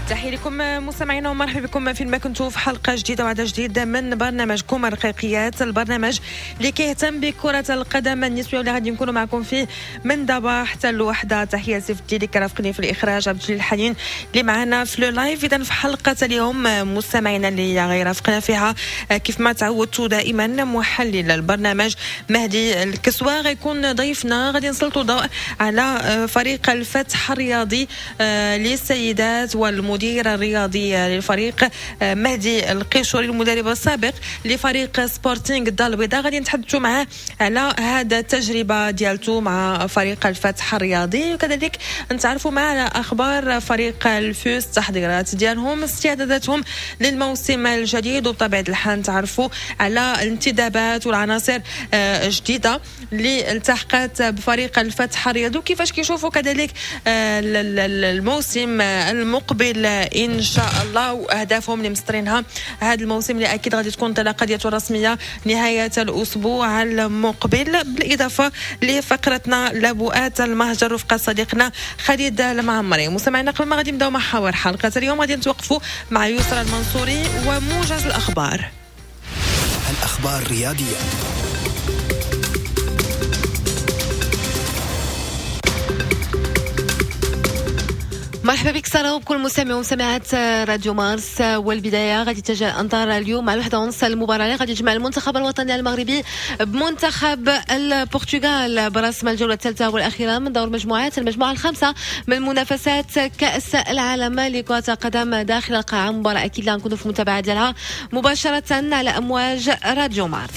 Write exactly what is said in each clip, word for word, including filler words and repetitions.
تحية لكم مستمعينا ومرحبا بكم فين ما كنتوا في حلقة جديدة وعدد جديد من برنامجكم الرقيقيات، البرنامج اللي كيهتم بكرة القدم النسوية واللي غادي نكونوا معكم فيه من دابا حتى الوحدة. تحية سيف الدين اللي كرافقني في الإخراج، عبد الجليل الحنين اللي معنا في le live. إذا في حلقة اليوم مستمعينا اللي غيرافقنا فيها كيف ما تعودتوا دائما محلل البرنامج مهدي الكسوة غيكون ضيفنا. غادي نسلطوا ضوء على فريق الفتح الرياضي للسيدات والمدير الرياضي للفريق مهدي القيشوري المدرب السابق لفريق سبورتينغ الدار البيضاء. غادي نتحدثوا معاه على هذا التجربة ديالته مع فريق الفتح الرياضي، وكذلك نتعرفوا معاه على اخبار فريق الفوس، التحضيرات ديالهم، استعداداتهم للموسم الجديد، وبطبيعة الحال نتعرفوا على الانتدابات والعناصر الجديدة اللي التحقت بفريق الفتح الرياضي وكيفاش كيشوفوا كذلك الموسم المقبل ان شاء الله واهدافهم اللي مسطرينها هذا الموسم اللي اكيد غادي تكون انطلاقة ديالته الرسمية نهاية الاسبوع المقبل. بالاضافة لفقرتنا لبؤات المهجر رفقه صديقنا خالد المعمري. مستمعينا قبل ما غادي نبداو محاور حلقة اليوم غادي نتوقفوا مع يسرى المنصوري وموجز الاخبار. الاخبار الرياضية. مرحبا بك سارة وبكل مستمع ومستمعات راديو مارس. والبداية غادي تتجه الأنظار اليوم مع الوحدة ونص المباراة اللي غادي تجمع المنتخب الوطني المغربي بمنتخب البرتغال برسم الجولة الثالثة والأخيرة من دور مجموعات المجموعة الخامسة من منافسات كأس العالم لكرة القدم داخل القاعة. مباراة أكيد اللي غنكونوا في المتابعة ديالها مباشرة على أمواج راديو مارس.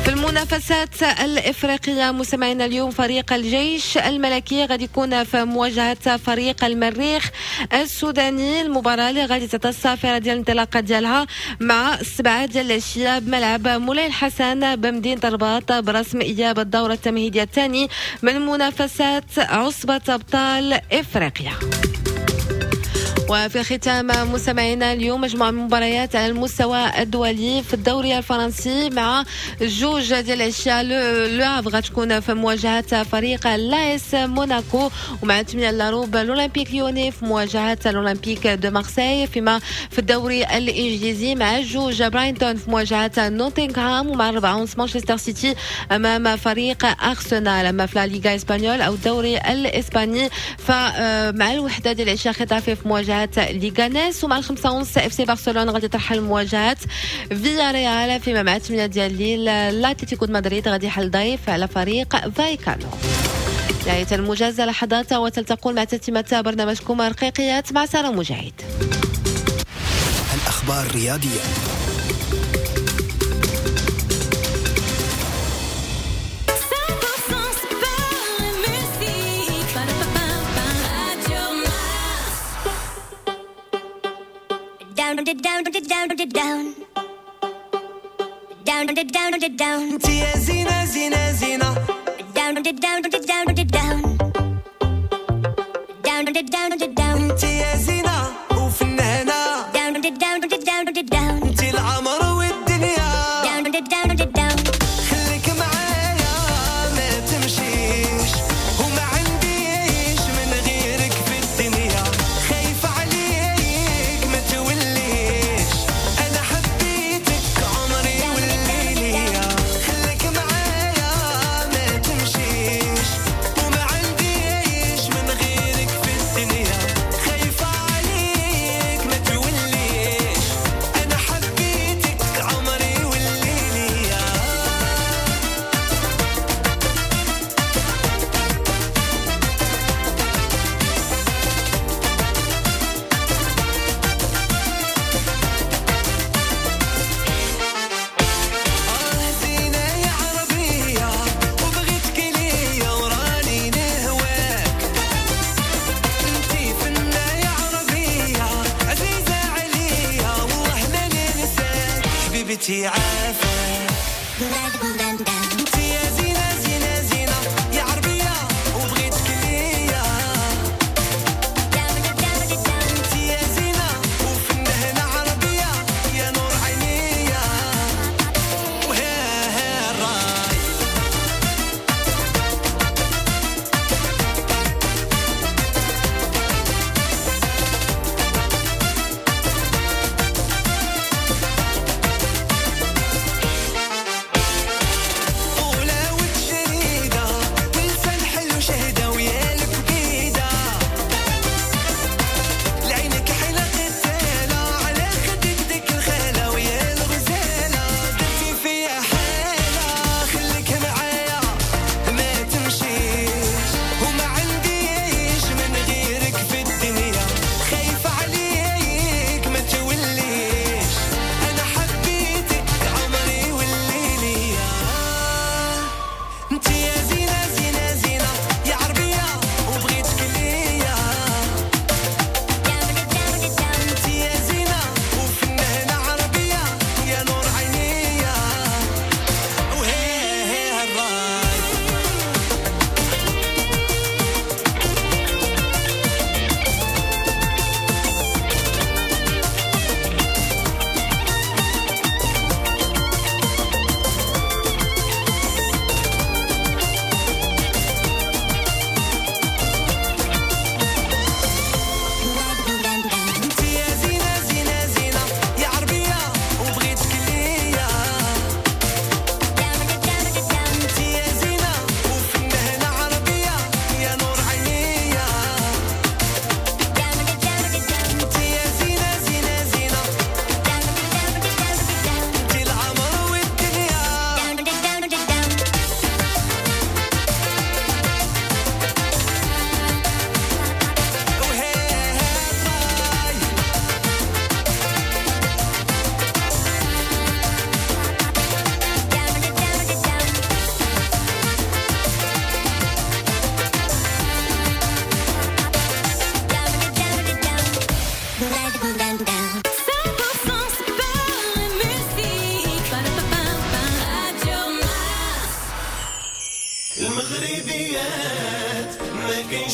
في المنافسات الإفريقية مستمعينا اليوم فريق الجيش الملكي غادي يكون في مواجهة فريق المريخ السوداني. المباراة اللي غادي تعطى الصافرة ديال الانطلاقة ديالها مع السبعة ديال العشية بملعب مولاي الحسن بمدينة الرباط برسم إياب الدورة التمهيدية الثاني من منافسات عصبة أبطال إفريقيا. وفي ختام مستمعينا اليوم مجموعة من المباريات على المستوى الدولي في الدوري الفرنسي مع جوج ديال العشية Le Havre غتكون في مواجهة فريق لاس موناكو، ومع ثمانية لاروب l'Olympique Lyonnais في مواجهة l'Olympique de Marseille. فيما في الدوري الإنجليزي مع جوج برايتون في مواجهة نوتنغهام، ومع أربعة ونص مانشستر سيتي أمام فريق أرسنال. أما في لا ليغا espagnole أو الدوري الإسباني فمع الوحدة ديال العشية خيتافي في مواجهة ليغانيس، ومع الخمسة ونص اف سي برشلونة غادي ترحل مواجهة فيا ريال. فيما مع ثمانية ديال الليل لاتليتيكو مدريد غادي يحل ضيف على فريق فايكانو. نهاية الموجز لحظات وتلتقون مع تتمة برنامجكم رقيقيات مع سارة مجاهد. الأخبار الرياضية. Down, down, down, down, down, down, down, down. انت يا زينة زينة زينة. Down, down, down, down, down, down, down, down. انت يا زينة وفنانة. Down, down, down, down. انت العمر والدنيا. Down, down, down. خليك معايا ما تمشيش وما عنديش من غيرك في الدنيا. خايفة عليك ما توليش أنا حبيتك عمري والليلية. خليك معايا ما تمشيش وما عنديش من غيرك في الدنيا. خايفة عليك ما توليش أنا حبيتك عمري والليلية. آه زينة يا عربية وبغيتك ليا وراني نهواك. انتي فنة يا عربية عزيزة عليا والله ما ننساك. حبيبتي عافاك. انتي يا زينة زينة زينة يا عربية وبغيتك ليا. انتي يا زينة وفنانة عربية يا نور عينيا وها ها الراي.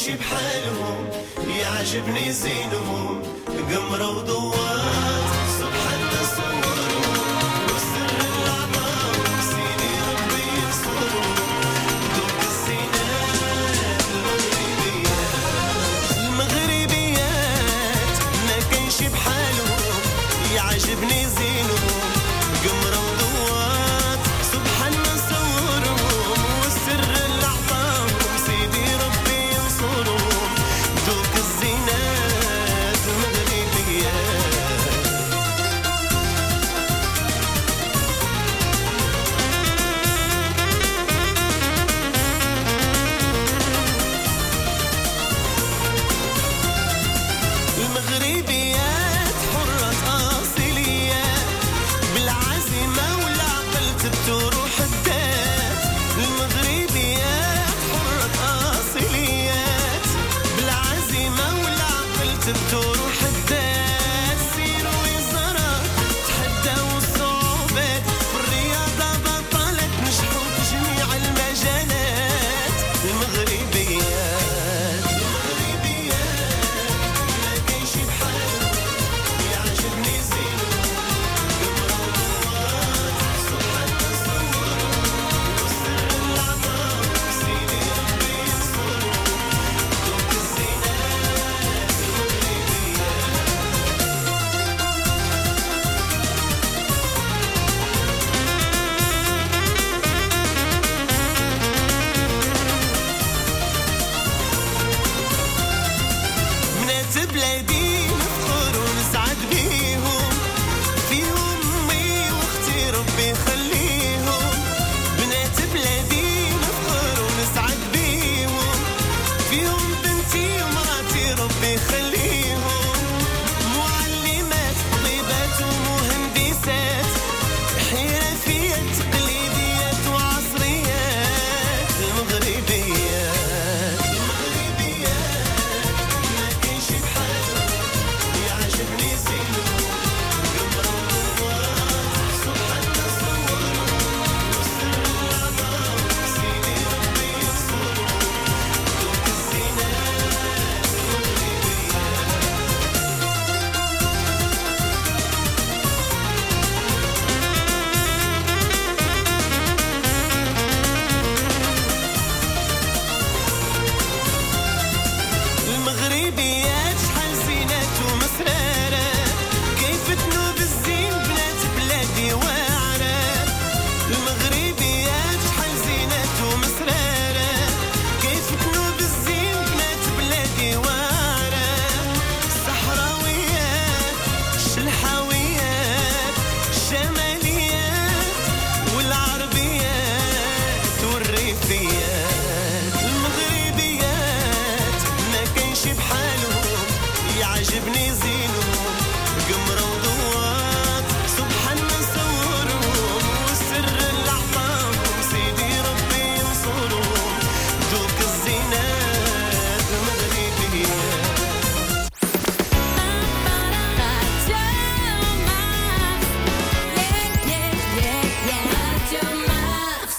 كاينش بحالهم، يعجبني زينهم قمرة وضوات سبحان تصورهم والسر اللي عطاهم سيدي ربي ينصرهم دوك الزينات المغربيات. المغربيات ما كاينش بحالهم، يعجبني زينهم قمرة وضوات سبحان صورهم والسر اللي عطاهم سيدي ربي ينصرهم دوك الزينات المغربيات. المغربيات حرة أصيليات بالعزيمة والعقل تبتو روح الذات. المغربيات حرة أصيليات بالعزيمة والعقل تبتو روح الذات. سيروا وزارات تحداو الصعوبات في الرياضة بطلت نجحوا في جميع المجالات. المغربيات المغربيات ما كاينش بحالهم، يعجبني زينهم قمرة وضوات سبحان تصورهم والسر اللي عطاهم سيدي ربي ينصرهم دوك الزينات المغربيات. بنات بلادي نفخر ونسعد بيهم، فيهم امي واختي ربي يخليهم. بنات بلادي نفخر ونسعد بيهم، فيهم بنتي ومراتي ربي يخليهم. معلمات طبيبات ومهندسات حرفيات تقليديات وعصريات. المغربيات المغربيات ما كاينش بحالهم، يعجبني زينهم قمرة وضوات سبحان تصورهم والسر اللي عطاهم سيدي ربي ينصرهم دوك الزينات المغربيات. المغربيات شحال زينات ومسرارة كيف تنوب الزين بنات بلادي واعرة. المغربيات شحال زينات ومسرارة كيف تنوب الزين بنات بلادي واعرة. الصحراويات الشلحاويات الشماليات والعربيات والريفيات. المغربيات ما كاينش بحالهم، يعجبني زينهم قمرة وضوات سبحان صورهم والسر اللي عطاهم سيدي ربي ينصرهم دوك الزينات المغربيات. Radio Mars. Yeah, yeah, yeah, yeah. Radio Mars.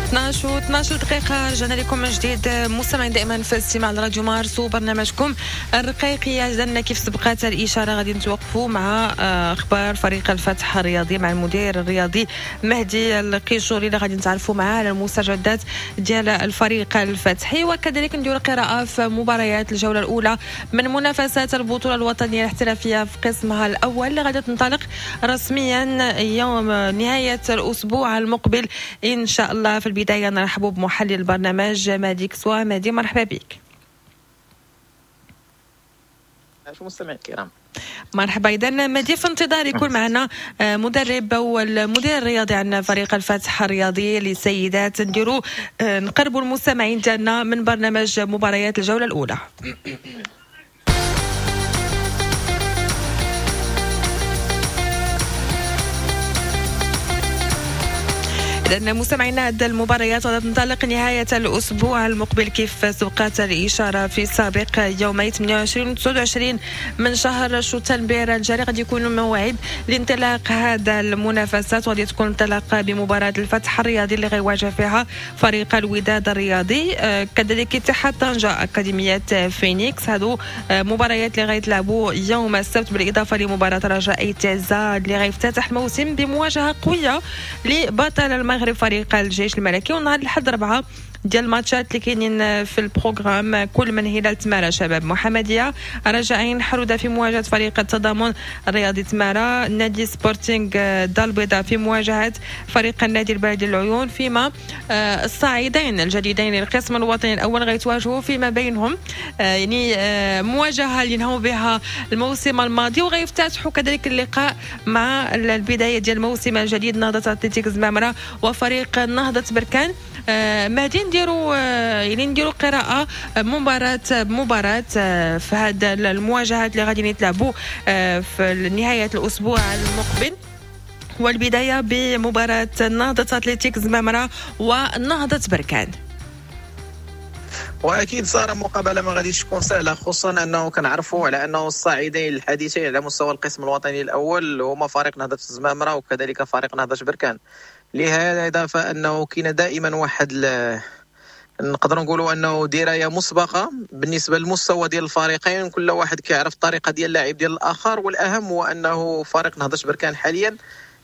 اثنا عشر و اثنا عشر دقيقة، رجعنا لكم من جديد مستمعين دائما في استماع لراديو مارس وبرنامجكم الرقيقية. جدنا كيف سبقت الإشارة غادي نتوقفوا مع آه، أخبار فريق الفتح الرياضي مع المدير الرياضي مهدي القيشوري اللي غادي نتعرفوا معاه على المستجدات ديال الفريق الفتحي، وكذلك نديروا قراءة في مباريات الجولة الأولى من منافسات البطولة الوطنية الاحترافية في قسمها الأول اللي غادي تنطلق رسميا يوم نهاية الأسبوع المقبل إن شاء الله. في البداية نرحب بمحلل البرنامج مهدي كسوة. مهدي مرحبا بك. المستمعين الكرام. مرحبا. اذا مهدي، في انتظار يكون معنا مدرب والمدير الرياضي عن فريق الفتح الرياضي للسيدات، نديروا نقربوا المستمعين ديالنا من برنامج مباريات الجولة الاولى. لأن مستمعينا هذه المباريات غادي تنطلق نهاية الأسبوع المقبل كيف سبقت الإشارة في السابق، يومي ثمانية وعشرين و تسعة وعشرين من شهر شتنبر الجاري غادي يكون موعد لانطلاق هذا المنافسات، وغادي تكون انطلاقة بمباراة الفتح الرياضي اللي غيواجه فيها فريق الوداد الرياضي، كذلك اتحاد طنجة أكاديمية فينيكس. هادو مباريات اللي غيتلعبوا يوم السبت، بالإضافة لمباراة رجاء تازا اللي غيفتتح الموسم بمواجهة قوية لبطل المغرب فريق الجيش الملكي. ونهار الأحد أربعة ديال الماتشات اللي كاينين في ال programme، كل من هلال تمارة شباب محمدية، رجاء عين حرودة في مواجهة فريق التضامن الرياضي تمارة، نادي سبورتينغ دار البيضاء في مواجهة فريق النادي البلدي العيون، فيما الصاعدين الجديدين للقسم الوطني الأول غيتواجهوا فيما بينهم، يعني مواجهة اللي نهوا بها الموسم الماضي، وغيفتتحوا كذلك اللقاء مع البداية ديال الموسم الجديد نهضة أتلتيك زمامرة وفريق نهضة بركان. مهدي، نديروا يعني نديروا قراءة مباراة بمباراة في هذا المواجهات اللي غادي يتلعبوا في نهاية الأسبوع المقبل، والبداية بمباراة نهضة أتلتيك زمامرة ونهضة بركان. واكيد صار مقابله ما غاديش تكون سهلة، خصوصا انه كنعرفوا على انه الصاعدين الحديثين على مستوى القسم الوطني الاول هما فريق نهضة الزمامره وكذلك فريق نهضة بركان. لهذا فانه كاين دائما واحد ل... نقدر نقولوا انه دراية مسبقة بالنسبة للمستوى ديال الفريقين، كل واحد كيعرف الطريقة ديال اللاعب ديال الاخر. والاهم هو انه فريق نهضة بركان حاليا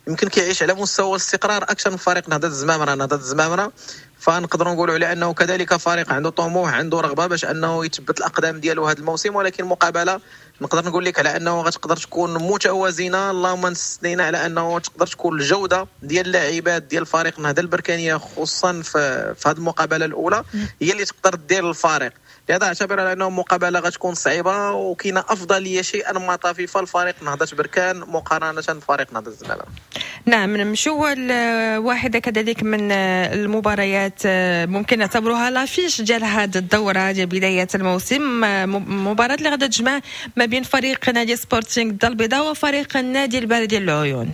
يمكن كيعيش على مستوى الاستقرار اكثر من فريق نهضة الزمامره. نهضة الزمامره فنقدروا نقولوا على انه كذلك فريق عنده طموح، عنده رغبة باش انه يثبت الاقدام ديالو هذا الموسم، ولكن مقابله نقدر نقول لك على انه غتقدر تكون متوازنة، اللهم نستثنينا على انه تقدر تكون الجودة ديال اللاعبات ديال فريق النهضة البركانيه خصوصا في في هذه المقابلة الاولى هي اللي تقدر دير الفارق. لهذا اعتبر على انه مقابله غتكون صعيبة وكاينه افضلية شيئا ما طفيفة لفريق نهضة بركان مقارنة بفريق نهضة الزمامره. نعم، نمشيو واحدة كذلك من المباريات ممكن نعتبروها l'affiche ديال هذه الدورة ديال بداية الموسم، مباراة اللي غادا تجمع ما بين فريق نادي سبورتينغ الدار البيضاء وفريق النادي البلدي العيون.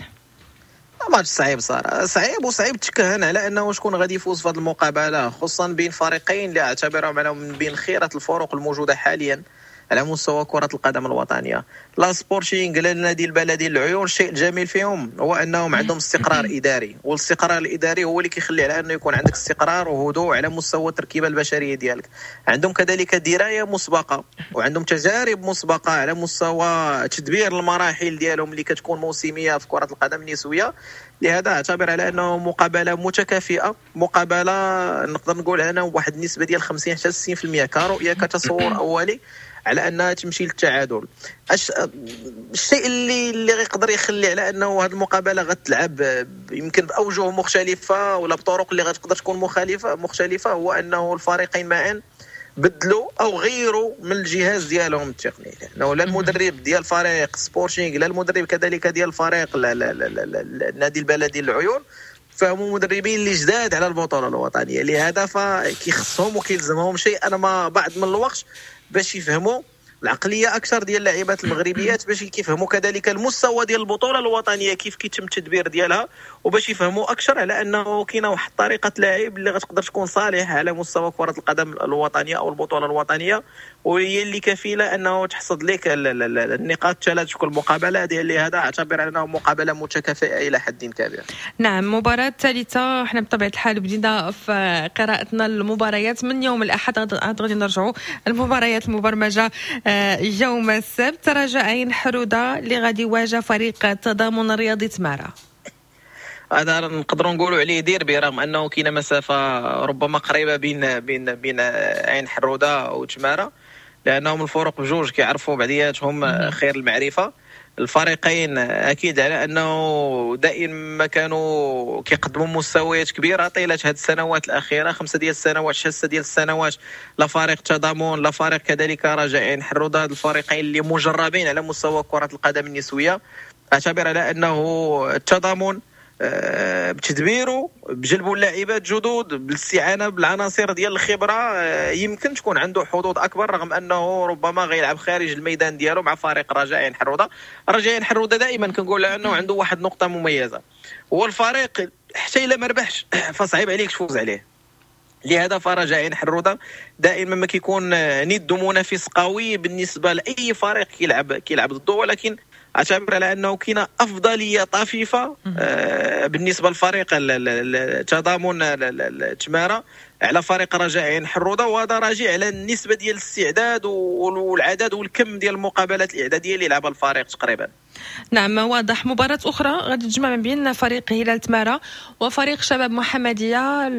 ماتش صعيب صار صعيب وصعيب تكهن على انه شكون غادي يفوز في هذه المقابلة، خصوصا بين فريقين اللي اعتبرهم على من بين خيره الفرق الموجودة حاليا على مستوى كرة القدم الوطنية. لا سبورتينغ لا النادي البلدي العيون، الشيء الجميل فيهم هو أنهم عندهم استقرار إداري، والاستقرار الإداري هو اللي كيخلي على أنه يكون عندك استقرار وهدوء على مستوى التركيبة البشرية ديالك. عندهم كذلك دراية مسبقة وعندهم تجارب مسبقة على مستوى تدبير المراحل ديالهم اللي كتكون موسمية في كرة القدم النسوية. لهذا اعتبر على أنه مقابلة متكافئة، مقابلة نقدر نقول على أنه واحد النسبة ديال خمسين حتى ستين بالمئة كرؤية كتصور أولي على انها تمشي للتعادل. أش... الشيء اللي اللي غيقدر يخلي على انه هذه المقابلة غتلعب يمكن باوجه مختلفة ولا بطرق اللي غتقدر تكون مخالفة مختلفة هو انه الفريقين معا بدلوا او غيروا من الجهاز ديالهم التقني، لانه لا المدرب ديال فريق سبورتينغ لا المدرب كذلك ديال الفريق لا لا لا لا لا النادي البلدي للعيون فهم مدربين اللي جداد على البطولة الوطنية. لهذا فكيخصهم وكيلزمهم شيء ما بعد من الوقت باش يفهموا العقلية اكثر ديال اللاعبات المغربيات، باش كيفهموا كذلك المستوى ديال البطولة الوطنية كيف كيتم التدبير ديالها، وباش يفهموا اكثر على انه كاينه واحد طريقه لعب اللي غتقدر تكون صالحه على مستوى كره القدم الوطنية او البطولة الوطنية، وهي اللي كفيله انه تحصد لك النقاط الثلاث في كل مقابله. ديال لهذا اعتبر انه مقابله متكافئة الى حد كبير. نعم، مباراة ثالثة، احنا بطبيعة الحال بدينا في قراءتنا المباريات من يوم الاحد، غادي نرجعوا المباريات المبرمجه يوم السبت. رجاء عين حروده اللي غادي يواجه فريق التضامن الرياضي تمارا. هذا نقدروا نقولوا عليه ديربي، رغم انه كاينه مسافة ربما قريبه بين بين بين عين حروده وتمارا، لانهم الفرق بجوج كيعرفوا بعضياتهم خير المعرفة. الفريقين اكيد على انه دائما ما كانوا كيقدموا مستويات كبيرة طيلة هذه السنوات الاخيرة، خمسة ديال السنوات، ستة ديال السنوات، لا فريق تضامن لا فريق كذلك رجاء عين حروده. هاد الفريقين اللي مجربين على مستوى كره القدم النسوية، اعتبر على انه التضامن بتدبيره بجلبوا اللاعبات جدد بالاستعانه بالعناصر ديال الخبرة يمكن تكون عنده حظوظ اكبر، رغم انه ربما غيلعب خارج الميدان ديالو مع فريق رجاء عين حروده. رجاء عين حروده دائما كنقول انه عنده واحد النقطة مميزة، هو الفريق حتى الا ما ربحش فصعيب عليك تفوز عليه. لهذا فرجاء عين حروده دائما ما كيكون ند منافس قوي بالنسبة لاي فريق كيلعب كيلعب ضده، ولكن اعتبر على انه كاينه افضلية طفيفة بالنسبة للفريق التضامن التماره على فريق رجاء عين حروده، وهذا راجع على النسبة ديال الاستعداد والعدد والكم ديال المقابلات الاعدادية اللي لعبها الفريق تقريبا. نعم واضح. مباراة أخرى غادي تجمع ما بين فريق هلال تمارة وفريق شباب محمدية.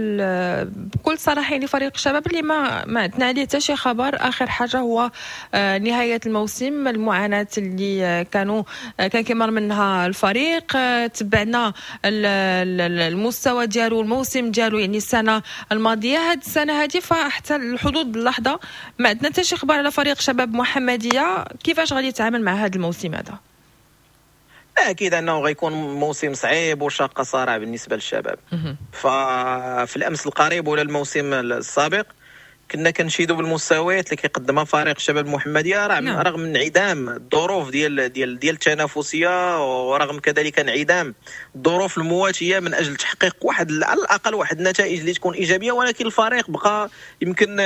بكل صراحة يعني فريق الشباب اللي ما ما عندنا عليه حتى شي خبر، آخر حاجة هو نهاية الموسم، المعاناة اللي كانوا كان كيمر منها الفريق، تبعنا المستوى ديالو الموسم ديالو يعني السنة الماضية، هاد السنة هذه فحتى الحدود اللحظة ما عندنا حتى شي خبر على فريق شباب محمدية، كيفاش غادي يتعامل مع هذا الموسم هذا؟ اكيد انه غيكون موسم صعيب وشاقه صارع بالنسبة للشباب. ففي الامس القريب ولا الموسم السابق كنا كنشيدوا بالمستويات اللي كيقدمها فريق الشباب المحمدية، رغم نعم. رغم انعدام الظروف ديال ديال ديال التنافسية، ورغم كذلك انعدام الظروف المواتيه من اجل تحقيق واحد على الاقل واحد النتائج اللي تكون ايجابية، ولكن الفريق بقى يمكن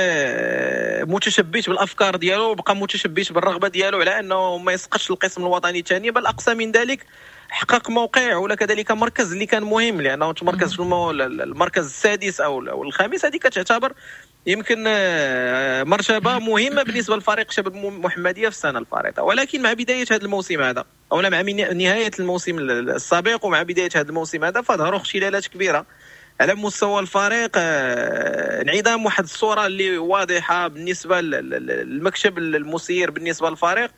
متشبث بالافكار ديالو، بقى متشبث بالرغبه ديالو على انه ما يسقطش القسم الوطني الثاني، بل اقصى من ذلك حقق موقع ولا كذلك مركز اللي كان مهم، لانه تمركز في المركز السادس او الخامس، هذه كتعتبر يمكن مرتبه مهمة بالنسبة للفريق شباب المحمدية في السنة الفارطه. ولكن مع بداية هذا الموسم هذا او مع نهاية الموسم السابق ومع بداية هذا الموسم هذا فظهروا اختلالات كبيرة على مستوى الفريق، انعدام واحد الصورة اللي واضحة بالنسبة للمكتب المسير بالنسبة للفريق،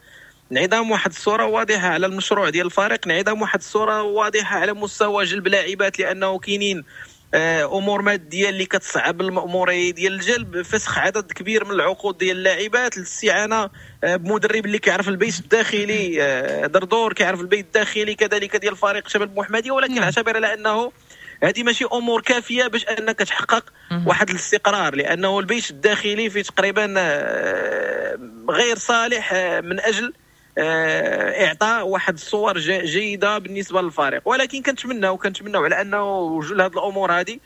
انعدام واحد الصورة واضحة على المشروع ديال الفريق، انعدام واحد الصورة واضحة على مستوى جلب لاعبات، لانه كاينين امور مادية اللي كتصعب الماموريه ديال الجلب، فسخ عدد كبير من العقود ديال اللاعبات، الاستعانة بمدرب اللي كيعرف البيت الداخلي دردور كيعرف البيت الداخلي كذلك ديال فريق شباب المحمدية، ولكن اعتبر على انه هذه ماشي امور كافيه باش انك تحقق واحد الاستقرار، لانه البيت الداخلي في تقريبا غير صالح من اجل اعطاء واحد الصور جيدة بالنسبة للفريق. ولكن كنتمناو كنتمناو على انه وجود هذه الامور هذه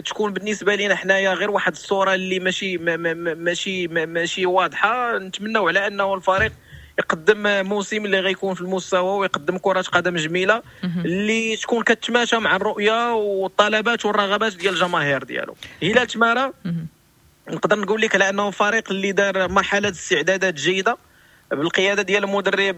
تكون بالنسبة لنا حنايا غير واحد الصورة اللي ماشي ماشي ماشي واضحة. نتمناو على انه الفريق يقدم موسم اللي غيكون في المستوى ويقدم كره قدم جميلة اللي تكون كتماشى مع الرؤية والطلبات والرغبات ديال الجماهير ديالو. هلال تمارة نقدر نقول لك على انه فريق اللي دار مرحلة استعدادات جيدة بالقيادة ديال المدرب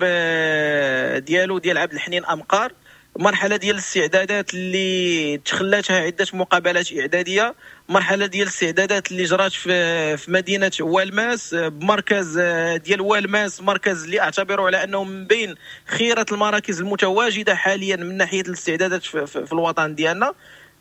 ديالو ديال عبد الحنين امقار، مرحلة ديال الاستعدادات اللي تخلاتها عده مقابلات اعدادية، مرحلة ديال الاستعدادات اللي جرات في في مدينة والماس بمركز ديال والماس، مركز اللي اعتبره على انه من بين خيره المراكز المتواجدة حاليا من ناحية الاستعدادات في, في, في الوطن ديالنا،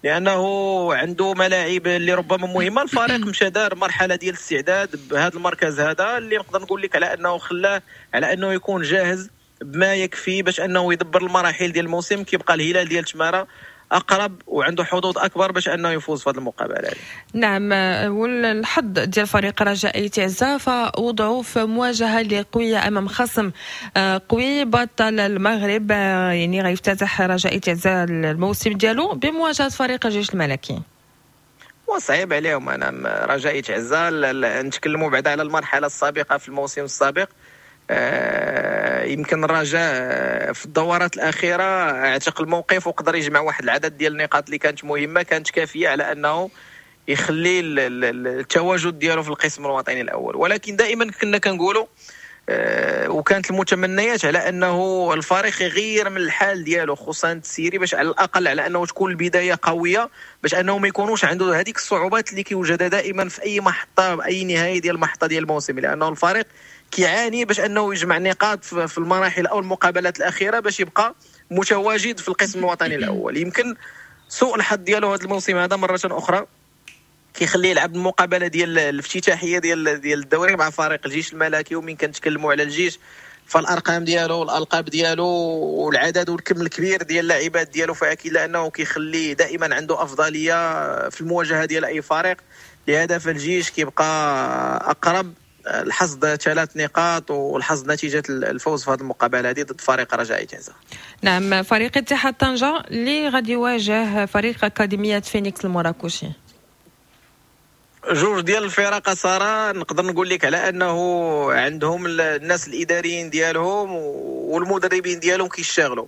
لانه عنده ملاعب اللي ربما مهمة. الفريق مشى دار مرحلة ديال الاستعداد بهذا المركز هذا اللي نقدر نقول لك على انه خلاه على انه يكون جاهز بما يكفي باش انه يدبر المراحل ديال الموسم. كيبقى الهلال ديال تمارة اقرب وعنده حظوظ اكبر باش انه يفوز في هذه المقابلة. نعم، والحظ ديال فريق رجاء تعزة فوضعوا في مواجهة اللي قوية امام خصم قوي بطل المغرب، يعني غيفتتح رجاء تعزة الموسم ديالو بمواجهة فريق الجيش الملكي. وصعيب عليهم. انا رجاء تعزة نتكلموا بعد على المرحلة السابقة في الموسم السابق، يمكن الرجاء في الدورات الأخيرة اعتق الموقف وقدر يجمع واحد العدد ديال النقاط اللي كانت مهمة، كانت كافية على أنه يخلي التواجد ديالو في القسم الوطني الأول. ولكن دائما كنا كنقولوا وكانت المتمنيات على انه الفريق يغير من الحال ديالو خصوصا التسييري باش على الاقل على انه تكون البداية قوية، باش انه ما يكونوش عنده هذيك الصعوبات اللي كيوجدها دائما في اي محطة، اي نهاية ديال المحطة ديال الموسم، لانه الفريق كيعاني باش انه يجمع نقاط في المراحل او المقابلات الاخيرة باش يبقى متواجد في القسم الوطني الاول. يمكن سوء الحظ ديالو هذا الموسم هذا مرة اخرى كيخليه يلعب المقابلة ديال الافتتاحيه ديال ديال الدوري مع فريق الجيش الملكي. ومن كنتكلموا على الجيش فالارقام ديالو والالقاب ديالو والعدد والكم الكبير ديال اللاعبات ديالو، فاكيد لانه كيخلي دائما عنده افضلية في المواجهة ديال اي فريق. لهذا فالجيش كيبقى اقرب الحصد ثلاث نقاط والحصد نتيجة الفوز في هذه المقابلة هذه ضد فريق رجاء تازة. نعم، فريق اتحاد طنجه اللي غادي يواجه فريق اكاديمية فينيكس المراكشي. جوج ديال الفرق ساره نقدر نقول لك على انه عندهم الناس الاداريين ديالهم والمدربين ديالهم كيشتغلوا،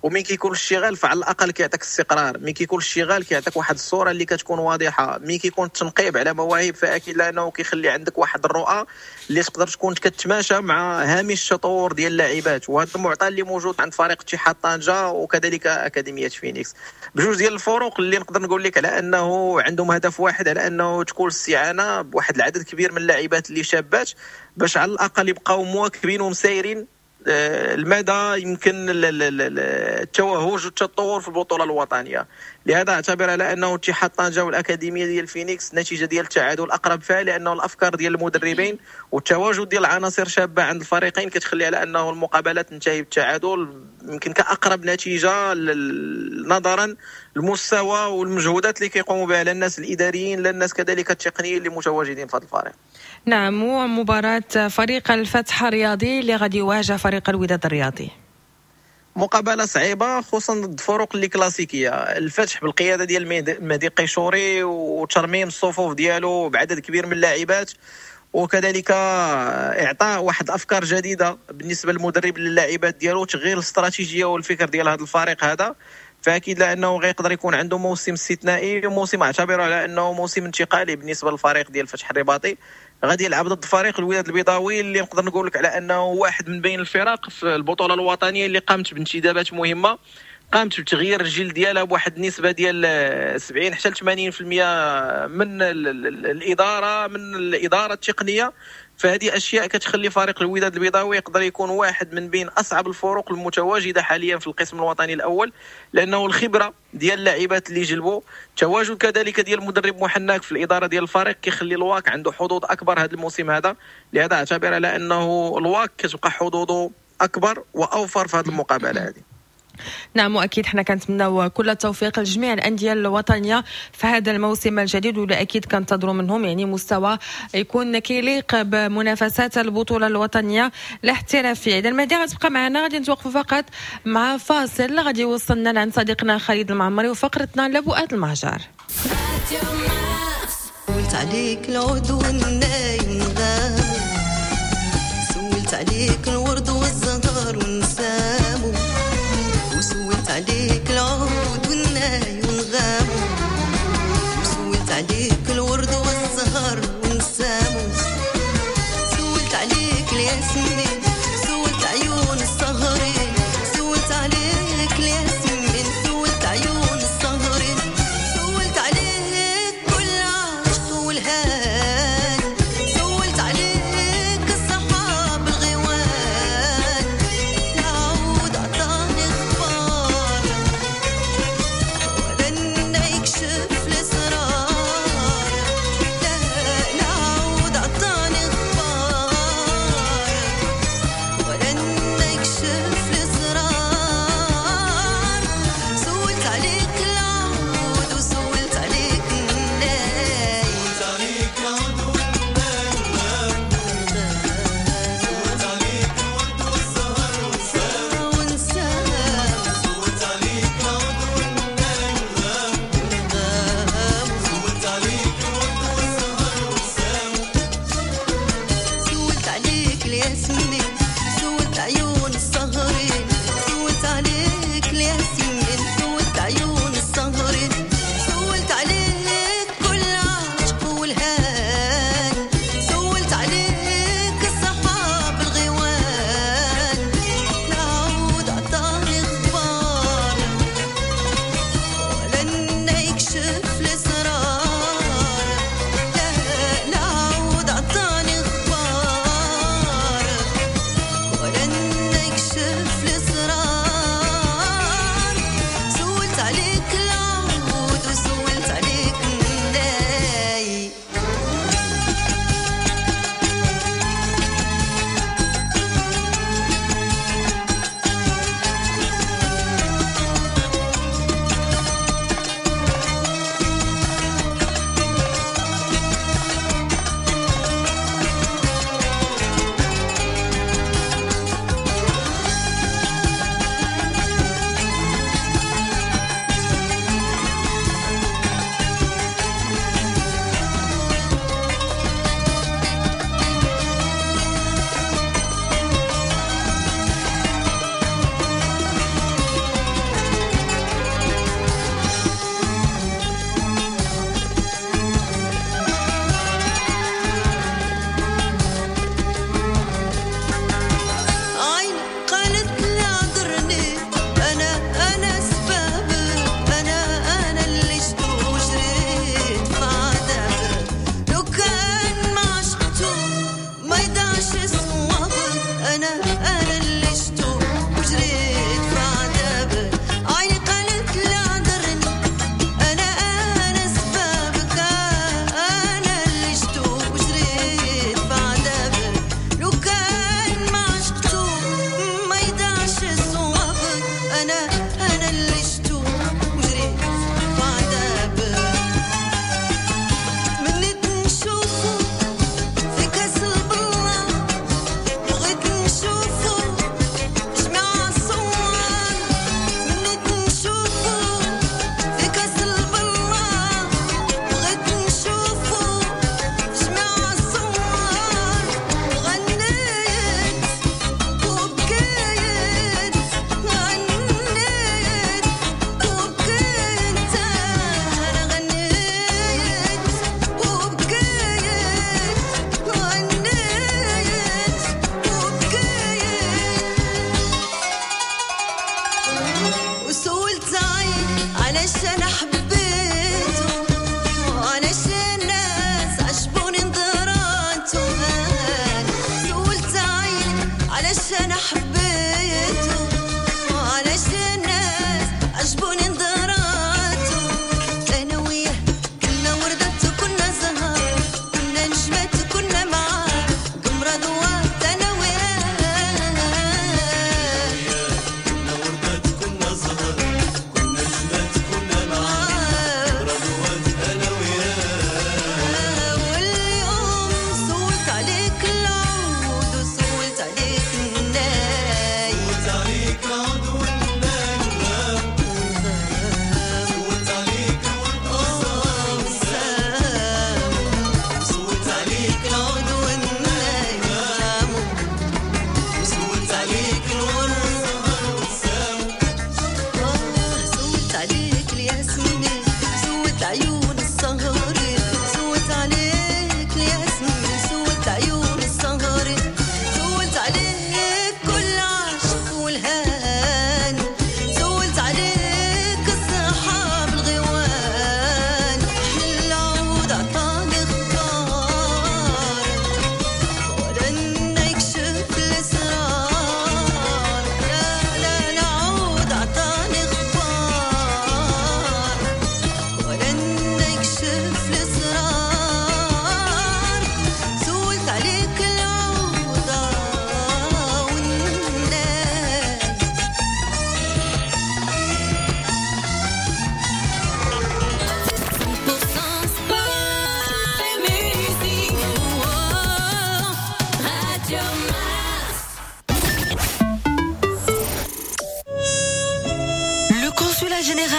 ومن كيكون الاشتغال فعلى الاقل كيعطيك استقرار، من كيكون الاشتغال كيعطيك واحد الصورة اللي كتكون واضحة، من كيكون التنقيب على مواهب فاكيد لانه كيخلي عندك واحد الرؤى اللي تقدر تكون كتماشى مع هامش التطور ديال اللاعبات. وهذا المعطى اللي موجود عند فريق اتحاد طنجه وكذلك اكاديمية فينيكس، بجوج ديال الفرق اللي نقدر نقول لك على انه عندهم هدف واحد، على انه تكون الاستعانة بواحد العدد كبير من اللاعبات اللي شابات باش على الاقل يبقاو مواكبين ومسايرين المدى يمكن التوهج والتطور في البطولة الوطنية. لهذا اعتبر على انه اتحاد طنجه والاكاديميه ديال فينيكس نتيجة ديال التعادل اقرب فيها، لانه الافكار ديال المدربين والتواجد ديال العناصر شابه عند الفريقين كتخلي على انه المقابلات تنتهي بالتعادل يمكن كاقرب نتيجة نظرا المستوى والمجهودات اللي كيقوموا بها لا الناس الاداريين لا الناس كذلك التقنيين اللي متواجدين في هذا الفريق. نعم، ومباراة فريق الفتح الرياضي اللي غادي يواجه فريق الوداد الرياضي، مقابله صعيبة خصوصا ضد فرق اللي كلاسيكية. الفتح بالقيادة ديال المهدي قيشوري وترميم الصفوف ديالو بعدد كبير من اللاعبات، وكذلك اعطاء واحد افكار جديدة بالنسبة للمدرب للاعبات ديالو، تغيير الاستراتيجية والفكر ديال هذا الفريق هذا، فاكيد لانه غيقدر يكون عنده موسم استثنائي وموسم اعتبره على انه موسم انتقالي بالنسبة للفريق ديال الفتح الرباطي. غادي يلعب ضد فريق الوداد البيضاوي اللي نقدر نقول لك على انه واحد من بين الفرق في البطولة الوطنية اللي قامت بانتدابات مهمة، قامت بتغيير الجيل ديالها بواحد النسبة ديال سبعين حتى ثمانين بالمئة من الادارة من الادارة التقنية. فهذه اشياء كتخلي فريق الوداد البيضاوي يقدر يكون واحد من بين اصعب الفرق المتواجدة حاليا في القسم الوطني الاول، لانه الخبرة ديال اللاعبات اللي جلبوا، تواجد كذلك ديال المدرب محناك في الادارة ديال الفريق كيخلي الواك عنده حظوظ اكبر هذا الموسم هذا. لهذا اعتبر على انه الواك كتبقى حظوظه اكبر واوفر في هذه المقابلة هذه. نعم، واكيد حنا كنتمناو كل التوفيق لجميع الاندية الوطنية في هذا الموسم الجديد، ولا اكيد كنتظروا منهم يعني مستوى يكون كيليق بمنافسات البطولة الوطنية الاحترافية. اذا المهدي غتبقى معنا، غادي نتوقفوا فقط مع فاصل غادي يوصلنا لعند صديقنا خالد المعمري وفقرتنا لبؤات المهجر. سولت عليك العود والنايم غاب، سولت عليك الورد والزهر ونسامو، وسولت عليك العود والناي ونغامو، وسولت عليك الورد والزهر ونسامو، سولت عليك الياسمين، سولت عيون السهرين، سولت عليك الياسمين، سولت عيون السهرين، سولت عليك كل عشق والهان، سولت عليك الصحاب الغوان، العود عطاني اخبار ولا يكشف الاسرار، لا العود عطاني اخبار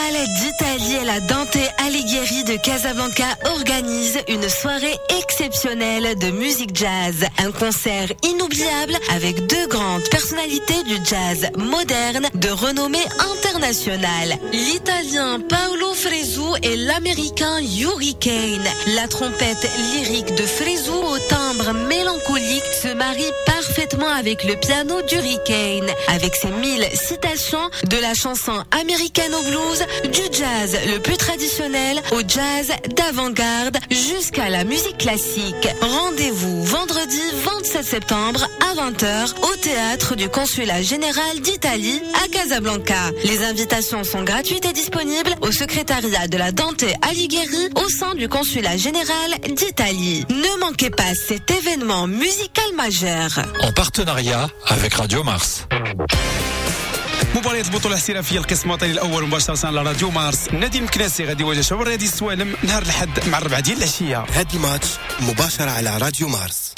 général d'Italie et la Dante Alighieri de Casablanca organisent une soirée exceptionnelle de musique jazz. Un concert inoubliable avec deux grandes personnalités du jazz moderne de renommée internationale. L'Italien Paolo Fresu et l'Américain Yuri Kane. La trompette lyrique de Fresu au timbre mélancolique se marie parfaitement avec le piano d'Yuri Kane. Avec ses mille citations de la chanson américaine au blues, du jazz le plus traditionnel au jazz d'avant-garde jusqu'à la musique classique. Rendez-vous vendredi vingt-sept septembre à vingt heures au théâtre du Consulat général d'Italie à Casablanca. Les invitations sont gratuites et disponibles au secrétariat de la Dante Alighieri au sein du Consulat général d'Italie. Ne manquez pas cet événement musical majeur. En partenariat avec Radio Mars. مباريات البطولة الاحترافية القسم الوطني الأول مباشرة على راديو مارس. النادي المكناسي غادي يواجه شباب الرياضي السوالم نهار الأحد مع الربعة ديال العشية. هذا الماتش مباشرة على راديو مارس.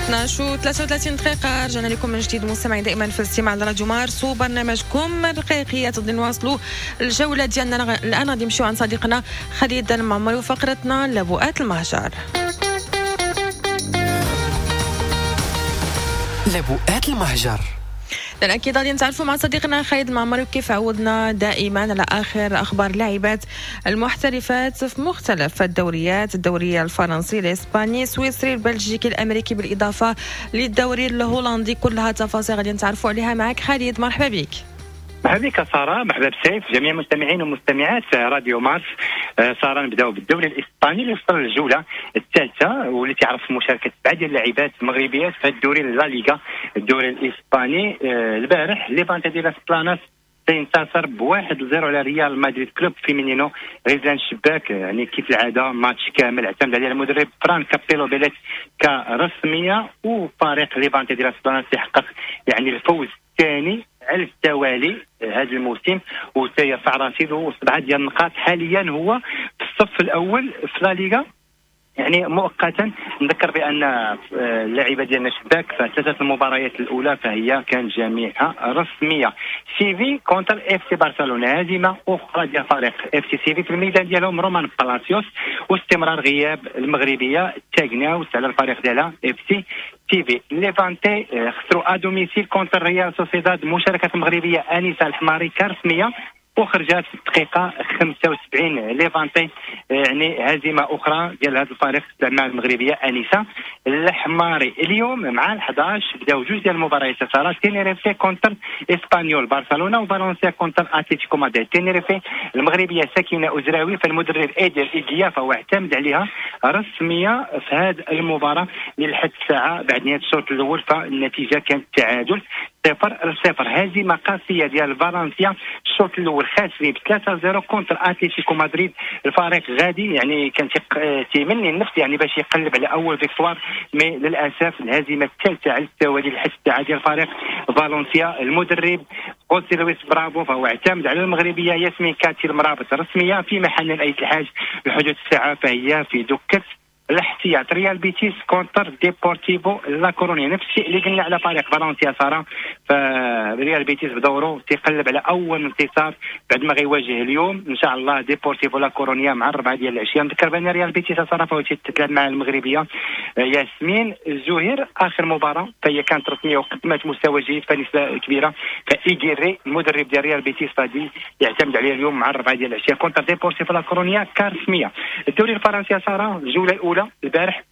اثنا عشر و ثلاثة وثلاثين دقيقة، رجعنا لكم من جديد مستمعين دائما في الاستماع على راديو مارس وبرنامجكم الرقيقيات. غادي نواصلوا الجولة ديالنا الآن، غادي نمشيو عند صديقنا خالد المعمري وفقرتنا لبؤات المهجر. لبؤات المهجر. لأن أكيد غادي نتعرفوا مع صديقنا خالد المعمري وكيف عودنا دائما على آخر أخبار اللاعبات المحترفات في مختلف الدوريات، الدوري الفرنسي، الإسباني، السويسري، البلجيكي، الأمريكي، بالإضافة للدوري الهولندي. كلها تفاصيل غادي نتعرفوا عليها معك خالد، مرحبا بك. مرحبا بك سارة، مرحبا بسيف، جميع المستمعين ومستمعات راديو مارس. آه، سارة، نبداو بالدوري الاسباني اللي وصل للجوله الثالثة واللي تعرف مشاركة سبعة ديال اللاعبات المغربيات في الدوري لا ليغا الدوري الاسباني. آه، البارح ليفانتي دي لاس بلاناس تينتصر بواحد لزيرو على ريال مدريد كلوب فيمينينو. غزلان الشباك يعني كيف العادة ماتش كامل اعتمد عليه المدرب فران كابيلو بيليت كرسميه، وفريق ليفانتي دي لاس بلاناس يحقق يعني الفوز الثاني على التوالي هذا الموسم وتيرفع رصيده سبعة ديال النقاط. حاليا هو في الصف الاول في لا ليغا يعني مؤقتا. نذكر بان اللاعبه ديالنا شباك فثلاثة المباريات الاولى فهي كانت جميعها رسمية. سيفي contre اف سي برشلونه، هزيمة اخرى ديال فريق اف سي سيفي في الميدان ديالهم رومان بالاسيوس، واستمرار غياب المغربية تاغناوس على الفريق ديالها اف سي تيفي. ليفانتي خسروا à domicile contre ريال سوسيداد، مشاركة المغربية انيسة الحماري كرسميه وخرجات في الدقيقة خمسة وسبعين. ليفانتي يعني هزيمة اخرى ديال هذا الفريق مع المغربية انيسة الحماري. اليوم مع ال حداش بداو جوج ديال المباريات صارت، تينيريفي contre اسبانيول برشلونه وفالنسيا contre اتلتيكو مدريد. تينيريفي المغربية سكينة ازراوي، فالمدرب ايدير ايديا فهو اعتمد عليها رسمية في هذه المباراة. لحد الساعة بعد نهاية الشوط الاول فالنتيجه كانت تعادل صفر لصفر. هزيمة قاسية ديال فالنسيا، الشوط الاول خاسرين ب ثلاثة صفر contre اتلتيكو مدريد. الفريق غادي يعني كان تيمني النفس يعني باش يقلب على اول victoire، mais للاسف الهزيمة الثالثة على التوالي لحد الساعة ديال فريق فالنسيا. المدرب خوسي لويس برافو فهو اعتمد على المغربية ياسمين كاتي المرابط رسميه، فيما حنان ايت الحاج لحدود الساعة فهي في دكه الاحتياط. ريال بيتيس contre ديبورتيفو لا كورونيا، نفس الشيء اللي قلنا على فريق فالنسيا سارا، فريال بيتيس بدوره تيقلب على اول انتصار بعد ما غيواجه اليوم ان شاء الله ديبورتيفو لا كورونيا مع الربعه ديال العشية. نذكر بان ريال بيتيس سارا فهو تتلعب مع المغربية ياسمين زهير، اخر مباراة فهي كانت رسمية وقدمت مستوى جيد فنسبة كبيره، فايغيري المدرب ديال ريال بيتيس غادي يعتمد عليه اليوم مع الربعه ديال العشية contre ديبورتيفو لا كورونيا كرسميه. الدوري الفرنسي سارا، الجولة الاولى البارح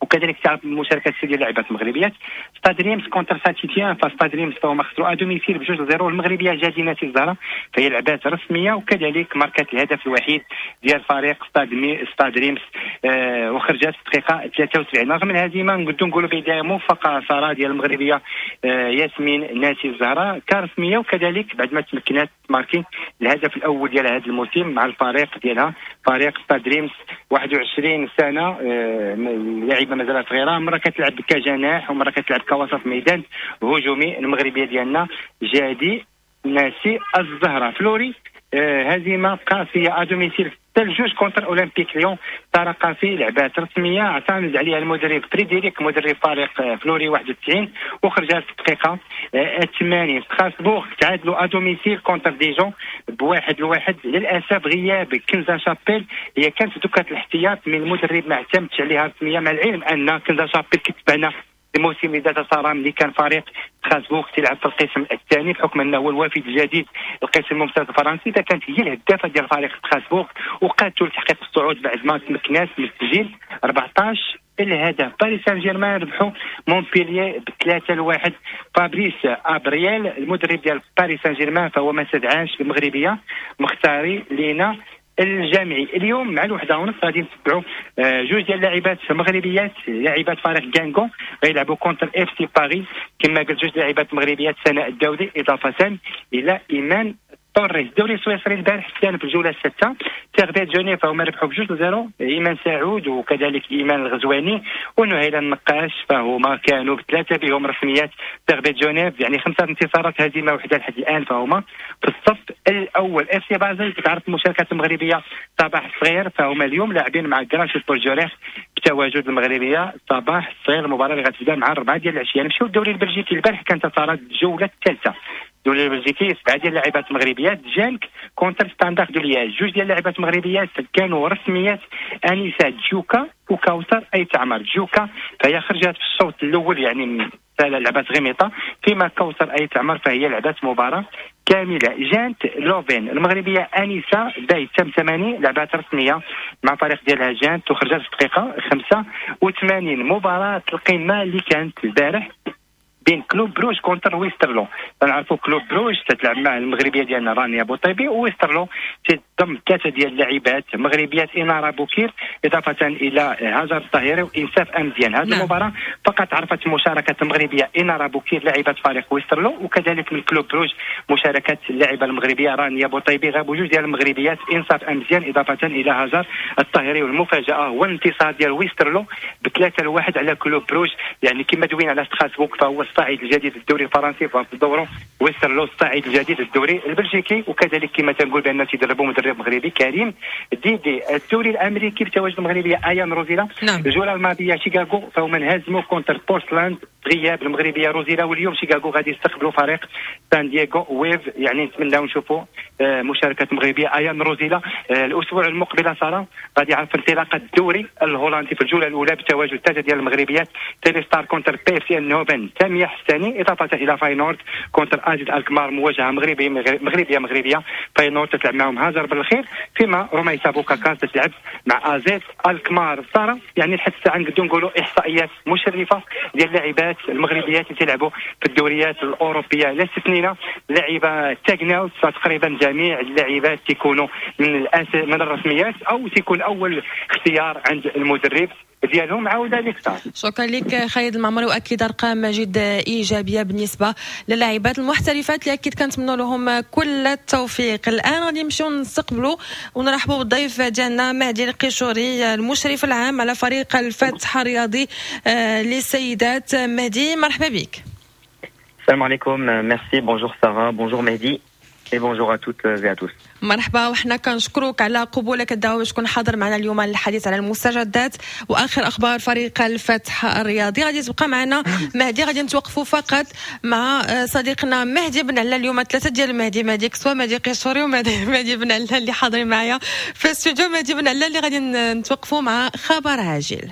وكذلك تعرف المشاركات ديال اللاعبات المغربيات. ستاد ريمس contre سانتيتيان، فستاد ريمس فهما خسروا à domicile بجوج zéro. المغربية جادي ناسي الزهرة فهي لعبات رسمية وكذلك ماركات الهدف الوحيد ديال فريق ستاد مي ستاد ريمس آه وخرجت في الدقيقة ثلاثة وسبعين. رغم الهزيمة نقدروا نقولوا بداية موفقة ساره ديال المغربية آه ياسمين ناسي الزهراء كرسميه، وكذلك بعد ما تمكنات marquer الهدف الاول ديال هذا الموسم مع الفريق ديالها. فريق ستاد ريمس، واحد وعشرين سنة، اللاعبه مازالت صغيرة، مرة كتلعب كجناح ومرة كتلعب كوسط ميدان هجومي. المغربية ديالنا جادي ناسي الزهرة. فلوري هزيمة قاسية à domicile جوج contre اولمبيك ليون، ساره قاسي لعبات رسمية اعتمد عليها المدرب فريدريك مدرب فريق فلوري واحد وتسعين وخرجت في الدقيقة ثمانين. ستراسبورغ تعادلوا à domicile contre ديجون بواحد لواحد. للاسف غياب كنزا شابيل، هي كانت دكه الاحتياط من المدرب ما اعتمدش عليها رسمية، مع العلم ان كنزا شابيل كتبعنا الموسم اللي داز صار ملي كان فريق ستراسبورغ تلعب في القسم الثاني بحكم انه هو الوافد الجديد القسم الممتاز الفرنسي، فكانت هي الهدافه ديال فريق ستراسبورغ وقادته لتحقيق الصعود بعد ما تمكنات من تسجيل أربعطاش الهدف. باريس سان جيرمان ربحوا مونبلييه بثلاثة لواحد. فابريس ابريال المدرب ديال باريس سان جيرمان فهو ما استدعاش المغربية مختاري لينا الجامعي. اليوم مع الوحدة ونص غادي نتبعوا جوج ديال اللاعبات مغربيات، لاعبات فريق غانغون غيلعبوا contre FC باريس، كما قلت جوج لاعبات مغربيات سناء الداودي اضافه الى ايمان طوريس. الدوري السويسري البارح كان في الجولة السادسة سيرفيت جنيف فهما ربحوا بجوج ل zéro، ايمان سعود وكذلك ايمان الغزواني ونهيلة النقاش فهما كانوا بثلاثة بهم رسميات سيرفيت جنيف، يعني خمسة انتصارات هزيمة واحدة لحد الان فهما في الصف الاول. FC بازل كتعرف المشاركة المغربية صباح الصغير فهما اليوم لاعبين مع كراش بورجوريخ بتواجد المغربية صباح الصغير، المباراة اللي غتبدا مع أربعة ديال العشية. نمشيو للدوري البلجيكي، البارح كانت صارت الجولة الثالثة. الدوري البلجيكي سبعة ديال اللاعبات المغربيات، جانك contre ستاندار دو لياج، جوج ديال اللاعبات المغربيات كانوا رسميات، انيسة جوكا وكوثر ايت عمر. جوكا فهي خرجت في الشوط الاول يعني لعبات غميطه، فيما كوثر ايت عمر فهي لعبات مباراة كاملة. جانت لوفين المغربية انيسة باي تمتماني لعبات رسمية مع فريق ديالها جانت وخرجت في الدقيقة خمسة وثمانين. مباراة القمه اللي كانت البارح بين كلوب بروج contre ويسترلو، تنعرفوا كلوب بروج تتلعب مع المغربية ديالنا رانيا بوطيبي، وويسترلو تضم ثلاثة ديال اللاعبات مغربيات انارة بوكير اضافه الى هاجر الطاهري وانصاف امزيان. هذه نعم. المباراة فقط عرفت مشاركة المغربية انارة بوكير لاعبه فريق ويسترلو، وكذلك من كلوب بروج مشاركة اللاعبه المغربية رانيا بوطيبي. غابوا جوج ديال المغربيات انصاف امزيان اضافه الى هاجر الطاهري، والمفاجاه هو الانتصار ديال ويسترلو بثلاثة لواحد على كلوب بروج. يعني كما دوينا على ستراسبورغ فهو الصاعد الجديد للدوري الفرنسي، ففي دوره ويسترلو الصاعد الجديد للدوري البلجيكي، وكذلك كما تنقول بان تيدربوا مدرب مغربي كريم ديدي. الدوري الامريكي بتواجد المغربية ايان روزيلا، نعم. الجولة الماضية شيكاغو فهما انهزموا contre بورتلاند غياب المغربية روزيلا، واليوم شيكاغو غادي يستقبلوا فريق سان دييغو ويف. يعني نتمناو نشوفوا مشاركة المغربية ايان روزيلا. الاسبوع المقبل ساره غادي يعرف انطلاقة الدوري الهولندي في الجولة الاولى بتواجد ثلاثة ديال المغربيات، تيليستار contre بي اف سي النوفن سامية حساني اضافه الى فاينورد contre ازيد الكمار، مواجهة مغربية مغربية مغربية فاينورد تتلعب معهم هاجر بالخير، فيما روميسا بوكاكاس تتلعب مع ازيد الكمار. ساره يعني لحد الساعة نقدروا نقولوا احصائيات مشرفة ديال اللاعبات المغربيات اللي تلعبوا في الدوريات الاوروبية، لا استثنينا لاعبه تاغناوت، فتقريبا جميع اللاعبات تيكونوا من الأس... من الرسميات او تيكون اول اختيار عند المدرب ديالهم. عاوده لك صار. شكرا لك خالد المعمري، واكيد ارقام جد ايجابية بالنسبة للاعبات المحترفات اللي اكيد كنتمنوا لهم كل التوفيق. الان غادي نمشيو نستقبلوا ونرحبوا بالضيف ديالنا مهدي القيشوري المشرف العام على فريق الفتح الرياضي للسيدات. مهدي مرحبا بك. السلام عليكم، merci، bonjour Sarah، bonjour Mehdi et bonjour à toutes et à tous. مرحبا، وحنا كنشكروك على قبولك الدعوة باش تكون حاضر معنا اليوم للحديث على المستجدات واخر اخبار فريق الفتح الرياضي. غادي تبقى معنا مهدي، غادي نتوقفوا فقط مع صديقنا مهدي بن علا. اليوم ثلاثة ديال مهدي، مهدي كسوه، مهدي قيشوري، ومهدي مهدي بن علا اللي حاضرين معايا في الاستوديو. مهدي بن علا اللي غادي نتوقفوا مع خبر عاجل.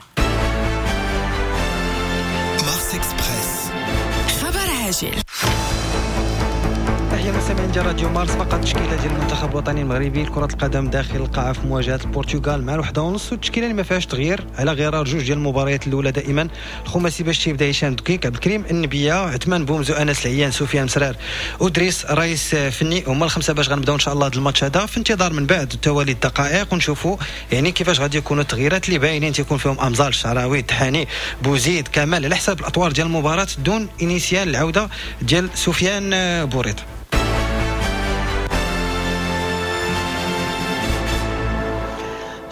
مارس اكسبريس، خبر عاجل. تحية مستمعين ديال راديو مارس. فقط تشكيله ديال المنتخب الوطني المغربي لكرة القدم داخل القاعة في مواجهة البرتغال مع الوحدة ونص، والتشكيله اللي ما فيهاش تغيير على غرار جوج ديال المباريات الاولى. دائما الخماسي باش تيبدا هشام دكيك، عبد الكريم النبيه، عثمان بومزو، انس العيان، سفيان مسرار، ودريس رئيس فني، هما الخمسة باش غنبداو ان شاء الله هذا الماتش هذا. في انتظار من بعد توالي الدقائق ونشوفوا يعني كيفاش غادي يكونوا التغييرات اللي باينين تيكون فيهم امزال، الشعراوي، التحاني، بوزيد، كمال، على حساب الاطوار ديال المباراة دون initial العودة ديال سفيان بوريط.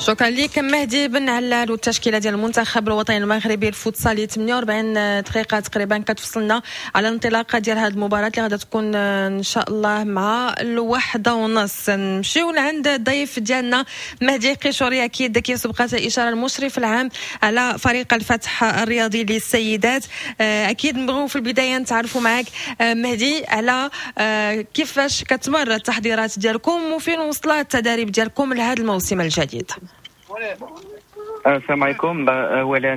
شكرا لك مهدي بن علال. والتشكيله ديال المنتخب الوطني المغربي الفوتسالي ثمانية وأربعين دقيقة تقريبا كتفصلنا على الانطلاقة ديال هذه المباراة اللي غادا تكون ان شاء الله مع الواحدة ونص. نمشيو لعند الضيف ديالنا مهدي قيشوري، اكيد كيف سبقت الاشارة المشرف العام على فريق الفتح الرياضي للسيدات. اكيد نبغيو في البداية نتعرفوا معك مهدي على كيفاش كتمر التحضيرات ديالكم وفين وصلت التداريب ديالكم لهذا الموسم الجديد. السلام عليكم. أولا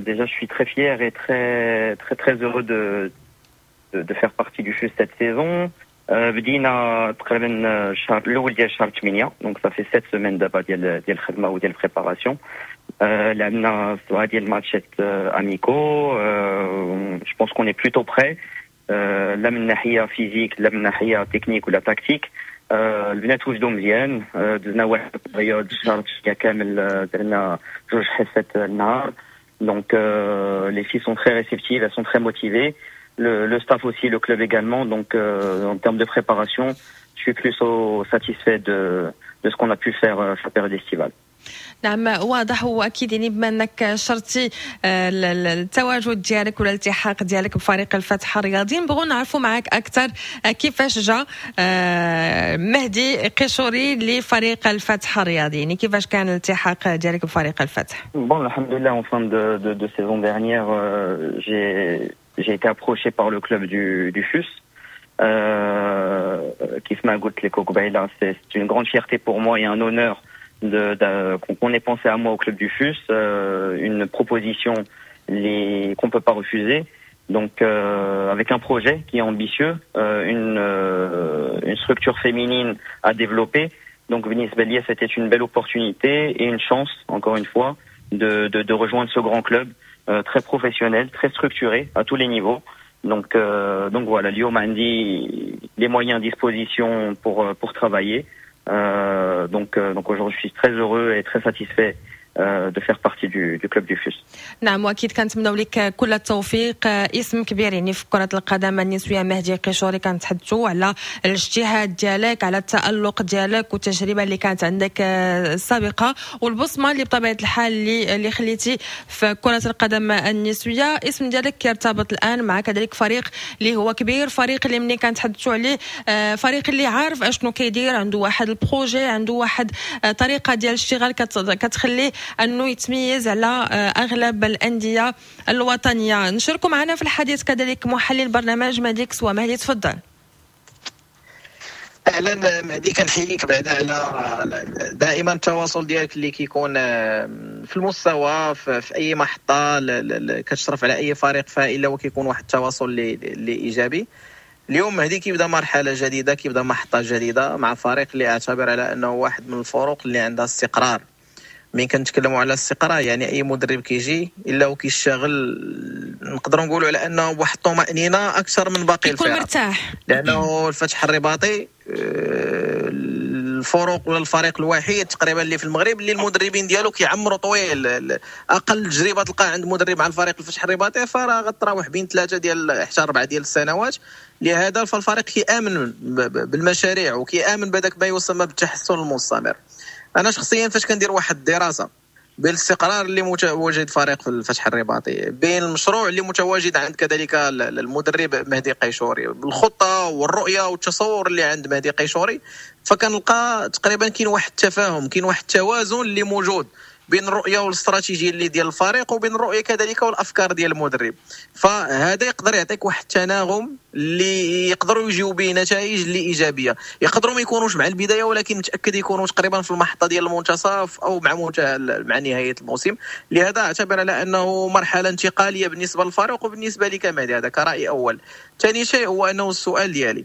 déjà je suis très fier et très très très heureux de de, de faire partie du F U S cette saison. بدينا تقريبا الشهر الاول ديال شهر ثمانية، donc ça fait sept semaines دابا ديال ديال الخدمة وديال ال préparation. لعبنا سبعة ديال الماتشات amicaux، je pense qu'on est plutôt prêt، لا من ناحية physique لا من ناحية تكنيك ولا tactique. البنات وجدوا مزيان، دزنا واحد ال période شهر كامل، درنا جوج حصات النهار، donc les filles sont très réceptives، elles sont très motivées، le, le staff aussi، le club également. Donc euh, en termes de préparation، je suis plutôt satisfait de, de ce qu'on a pu faire euh, في la période estivale. نعم واضح، واكيد يعني بما انك شرتي التواجد ديالك ولا الالتحاق ديالك بفريق الفتح الرياضي، نبغوا نعرفوا معك اكثر كيفاش جا مهدي قيشوري لفريق الفتح الرياضي، يعني كيفاش كان الالتحاق ديالك بفريق الفتح؟ Bon، الحمد لله، en fin de, de, de saison dernière، euh, j'ai j'ai été approché par le club du, du F U S. Euh, كيف ما قلت لك قبيلة، c'est une grande fierté pour moi et un honneur de, de, qu'on ait pensé à moi au club du F U S, euh, une proposition les, qu'on peut pas refuser. Donc euh, avec un projet qui est ambitieux, euh, une, euh, une structure féminine à développer. Donc بالنسبة ليا، c'était une belle opportunité et une chance, encore une fois, de, de, de rejoindre ce grand club euh, très professionnel, très structuré à tous les niveaux. Donc, euh, donc voilà، اليوم عندي les moyens à disposition pour, pour travailler. Euh, donc, euh, donc aujourd'hui، je suis très heureux et très satisfait euh, de faire partie du, du club du F U S. نعم، واكيد كنتمناو لك كل التوفيق. اسم كبير يعني في كرة القدم النسوية مهدي قيشوري، كنتحدثوا على الاجتهاد ديالك، على التألق ديالك والتجربة اللي كانت عندك السابقة والبصمة اللي بطبيعة الحال اللي اللي خليتي في كرة القدم النسوية. اسم ديالك كيرتبط الآن مع كذلك فريق اللي هو كبير، فريق اللي ملي كنتحدثوا عليه فريق اللي عارف اشنو كيدير، عنده واحد ال projet، عنده واحد طريقة ديال الاشتغال كتخليه انه يتميز على اغلب الاندية الوطنيه. نشاركوا معنا في الحديث كذلك محلل برنامج مهدي كسوة. مهدي تفضل. اهلا مهدي، كنحييك بعدا على دائما التواصل ديالك اللي كيكون في المستوى في, في اي محطة كتشرف على اي فريق، فالا وكيكون واحد التواصل اللي, اللي ايجابي. اليوم مهدي كيبدا مرحلة جديده، كيبدا محطة جديدة مع فريق اللي اعتبر على انه واحد من الفرق اللي عندها استقرار. من كنتكلموا على الاستقرار، يعني اي مدرب كيجي الا وكيشتغل نقدروا نقولوا على انه بواحد الطمانينة اكثر من باقي يكون الفرق، مرتاح. لانه الفتح الرباطي آه، الفرق ولا الفريق الوحيد تقريبا اللي في المغرب اللي المدربين ديالو كيعمروا طويل. اقل تجربه تلقى عند مدرب مع الفريق الفتح الرباطي فراه غتراوح بين ثلاثة ديال حتى اربعة ديال السنوات. لهذا فالفريق كيامن بالمشاريع وكيامن بهذاك ما يسمى بالتحسن المستمر. انا شخصيا فاش كندير واحد الدراسة بالاستقرار اللي متواجد فريق في الفتح الرباطي، بين المشروع اللي متواجد عند كذلك المدرب مهدي قيشوري، بالخطة والرؤية والتصور اللي عند مهدي قيشوري، فكنلقى تقريبا كاين واحد التفاهم، كاين واحد التوازن اللي موجود بين الرؤية والاستراتيجيه اللي ديال الفريق وبين الرؤية كذلك والافكار ديال المدرب. فهذا يقدر يعطيك واحد التناغم اللي يقدروا يجيو به نتائج اللي ايجابيه. يقدروا ما يكونوش مع البدايه، ولكن متاكد يكونوا تقريبا في المحطة ديال المنتصف او مع مع نهاية الموسم. لهذا اعتبر على انه مرحلة انتقالية بالنسبة للفريق وبالنسبة لي كمهدي، هذا كراي اول. ثاني شيء هو انه السؤال ديالي،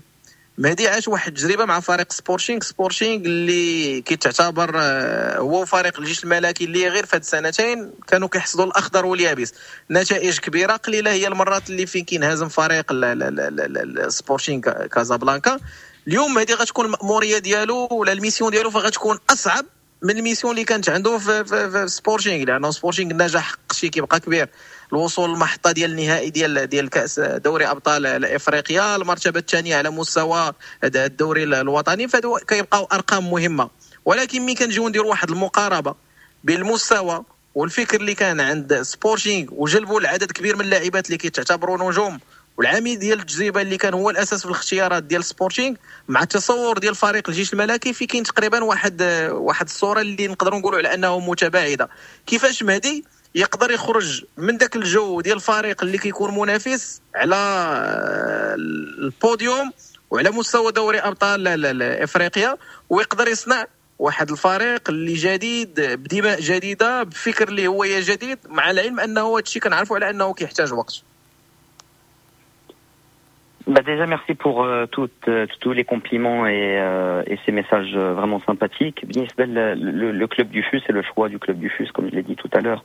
مهدي عاش واحد التجربة مع فريق سبورتينغ، سبورتينغ اللي كيتعتبر آه، هو فريق الجيش الملكي اللي غير في هاد السنتين كانوا كيحصدوا الاخضر واليابس، نتائج كبيرة. قليله هي المرات اللي فين كينهزم فريق سبورتينغ كازابلانكا. اليوم مهدي غتكون المأموريه ديالو ولا ال mission ديالو فغتكون اصعب من ال mission اللي كانت عنده في, في, في سبورتينغ، لانه سبورتينغ النجاح حقق شي كيبقى كبير، الوصول للمحطه ديال النهائي ديال ديال كاس دوري ابطال افريقيا، المرتبة الثانية على مستوى الدوري الوطني، فهادو كيبقاو ارقام مهمة. ولكن ولكن ملي كنجيو نديروا واحد المقاربة بين المستوى والفكر اللي كان عند سبورتينغ وجلبوا العدد كبير من اللاعبات اللي كيتعتبروا نجوم، والعميد ديال التجربة اللي كان هو الاساس في الاختيارات ديال سبورتينغ مع التصور ديال فريق الجيش الملكي، في كاين تقريبا واحد واحد الصورة اللي نقدروا نقولوا على انه متباعدة. كيفاش مهدي يقدر يخرج من ذاك الجو ديال الفريق اللي كيكون منافس على البوديوم وعلى مستوى دوري ابطال افريقيا، ويقدر يصنع واحد الفريق اللي جديد بدماء جديدة بفكر اللي هو جديد، مع العلم انه هادشي كنعرفوا على انه كيحتاج وقت. Bah déjà merci pour euh, toutes, euh, tous les compliments et, euh, et ces messages vraiment sympathiques. بالنسبة le, le, le club du F U S et le choix du club du F U S, comme je l'ai dit tout à l'heure,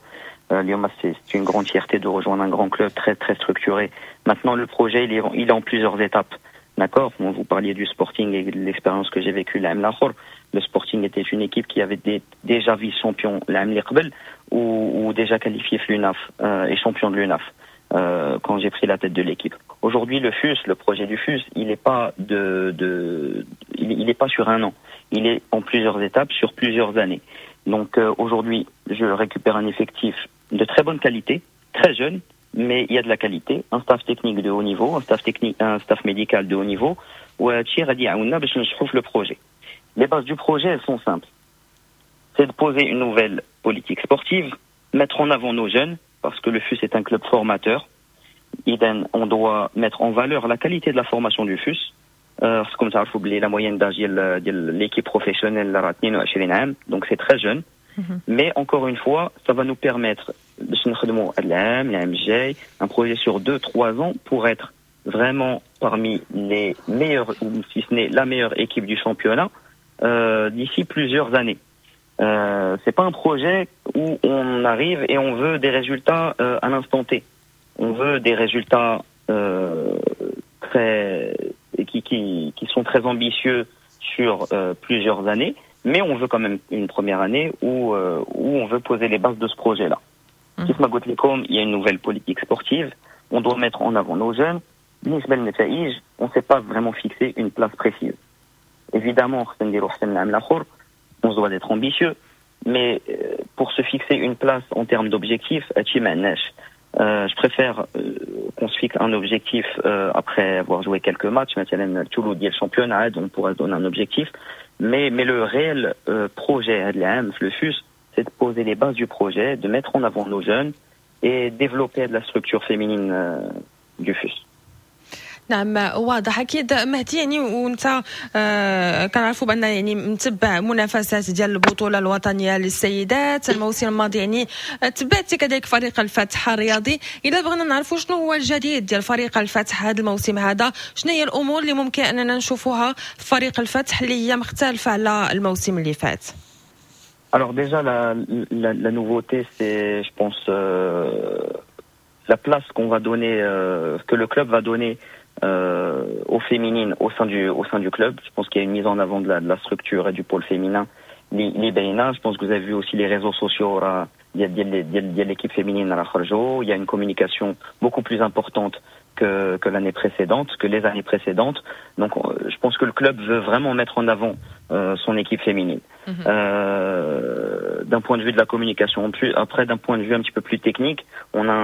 euh, اليوما c'est c'est une grande fierté de rejoindre un grand club très très structuré. Maintenant le projet il est, il est en plusieurs étapes. D'accord. Bon, vous parliez du Sporting et de l'expérience que j'ai vécue العام الآخر. Le Sporting était une équipe qui avait des, déjà vice-champion العام اللي قبل ou, ou déjà qualifié في l'UNAF euh, et champion de l'UNAF euh, quand j'ai pris la tête de l'équipe. Aujourd'hui, le F U S, le projet du F U S, il n'est pas de, de il, il est pas sur un an. Il est en plusieurs étapes, sur plusieurs années. Donc euh, aujourd'hui, je récupère un effectif de très bonne qualité, très jeune, mais il y a de la qualité, un staff technique de haut niveau, un staff technique, un staff médical de haut niveau. وهادشي غادي يعاوننا باش ننجحوا في le projet. Les bases du projet, elles sont simples. C'est de poser une nouvelle politique sportive, mettre en avant nos jeunes, parce que le F U S est un club formateur. إذن on doit mettre en valeur la qualité de la formation du F U S. Euh, خصكم تعرفوا بلي la moyenne d'âge ديال ديال l'équipe professionnelle راه اثنين وعشرين عام, donc c'est très jeune. Mais encore une fois, ça va nous permettre باش نخدموا العام العام الجاي un projet sur deux, trois ans pour être vraiment parmi les meilleurs, ou si ce n'est la meilleure équipe du championnat euh, d'ici plusieurs années. Euh, c'est pas un projet où on arrive et on veut des résultats euh, à l'instant T. On veut des résultats euh, très qui, qui, qui sont très ambitieux sur euh, plusieurs années, mais on veut quand même une première année où, euh, où on veut poser les bases de ce projet-là. كيف ما قلت لكم, il y a une nouvelle politique sportive. On doit mettre en avant nos jeunes. بالنسبة للنتائج, on ne s'est pas vraiment fixé une place précise. Évidemment, خصنا نديرو أحسن من العام الآخر. On se doit d'être ambitieux, mais euh, pour se fixer une place en termes d'objectifs, هادشي ما عندناش. Euh, je préfère euh, qu'on se fixe un objectif euh, après avoir joué quelques matchs, مثلا الثلث ديال championnat, on pourrait se donner un objectif. Mais, mais le réel euh, projet هاد العام في le F U S, c'est de poser les bases du projet, de mettre en avant nos jeunes et développer de la structure féminine euh, du F U S. نعم، واضح اكيد مهدي. يعني وانت آه كنعرفوا بان يعني متبع منافسات ديال البطولة الوطنية للسيدات الموسم الماضي، يعني تبعتي كذلك فريق الفتح الرياضي. اذا بغينا نعرفوا شنو هو الجديد ديال فريق الفتح هذا الموسم هذا، شنو هي الامور اللي ممكن اننا نشوفوها في فريق الفتح اللي هي مختلفة على الموسم اللي فات؟ Alors déjà, la, la, la nouveauté, c'est, je pense, euh, la place qu'on va donner, euh, que le club va donner euh, aux féminines au sein du, au sein du club. Je pense qu'il y a une mise en avant de la, de la structure et du pôle féminin. اللي اللي باينة, je pense que vous avez vu aussi les réseaux sociaux, راه ديال ديال ديال ديال l'équipe féminine راه خرجوا. Il y a une communication beaucoup plus importante que, que l'année précédente, que les années précédentes. Donc, euh, je pense que le club veut vraiment mettre en avant euh, son équipe féminine. Euh, d'un point de vue de la communication. En plus, après, d'un point de vue un petit peu plus technique, on a,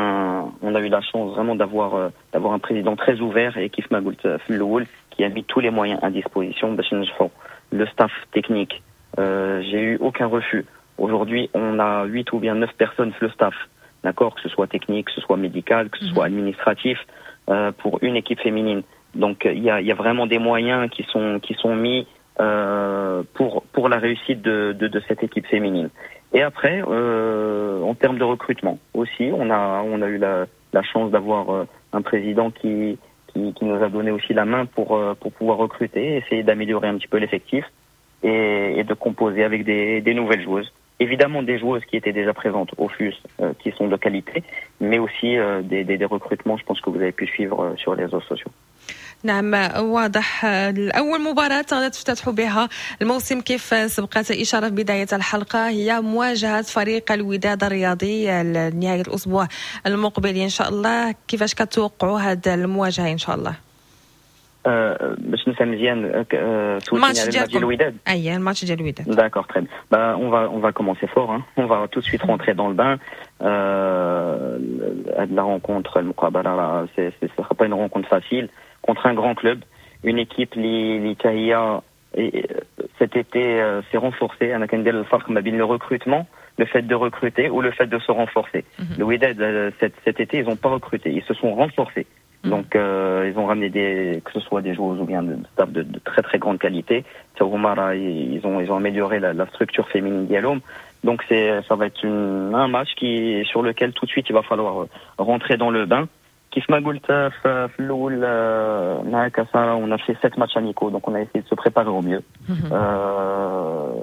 on a eu la chance vraiment d'avoir, euh, d'avoir un président très ouvert et كيف ما قلت في الأول, qui a mis tous les moyens à disposition باش ننجحوا. Le staff technique, euh, j'ai eu aucun refus. Aujourd'hui, on a huit ou bien neuf personnes في le staff, d'accord, que ce soit technique, que ce soit médical, que ce soit administratif, euh, pour une équipe féminine. Donc, il y a, il y a vraiment des moyens qui sont qui sont mis euh, pour pour la réussite de, de, de cette équipe féminine. Et après, euh, en termes de recrutement aussi, on a on a eu la, la chance d'avoir euh, un président qui, qui qui nous a donné aussi la main pour euh, pour pouvoir recruter, essayer d'améliorer un petit peu l'effectif et, et de composer avec des, des nouvelles joueuses. Évidemment des joueuses qui étaient déjà présentes au F U S, euh, qui sont de qualité, mais aussi euh, des, des, des recrutements, je pense que vous avez pu suivre euh, sur les réseaux sociaux. نعم، واضح. الأول مباراة غادي تفتتحوا بها الموسم، كيف سبقت إشارة في بداية الحلقة، هي مواجهة فريق الوداد الرياضي نهاية الأسبوع المقبل إن شاء الله. كيفاش كتوقعوا هذه المواجهة إن شاء الله؟ باش نفهم مزيان، سولتيني على الماتش ديال الوداد؟ اي، الماتش ديال الوداد. D'accord, très bien. Bah, on va on va commencer fort, hein. On va tout de suite rentrer dans le bain. Euh, la rencontre, المقابلة, c'est ce sera pas une rencontre facile contre un grand club, une équipe اللي اللي cet été s'est renforcée. انا كندير الفرق ما بين le recrutement, le fait de recruter ou le fait de se renforcer. Mm -hmm. Le Wydad, cet, cet été, ils n'ont pas recruté, ils se sont renforcés. Mmh. Donc, euh, ils ont ramené des, que ce soit des joueurs ou bien de staff de, de très très grande qualité. Ils ont, ils ont amélioré la, la structure féminine ديالهم. Donc, c'est, ça va être une, un match qui, sur lequel tout de suite il va falloir rentrer dans le bain. كيف ما قلت في الاول معك ساره، on a fait sept matchs amicaux, donc on a essayé de se préparer au mieux. Mmh. Euh,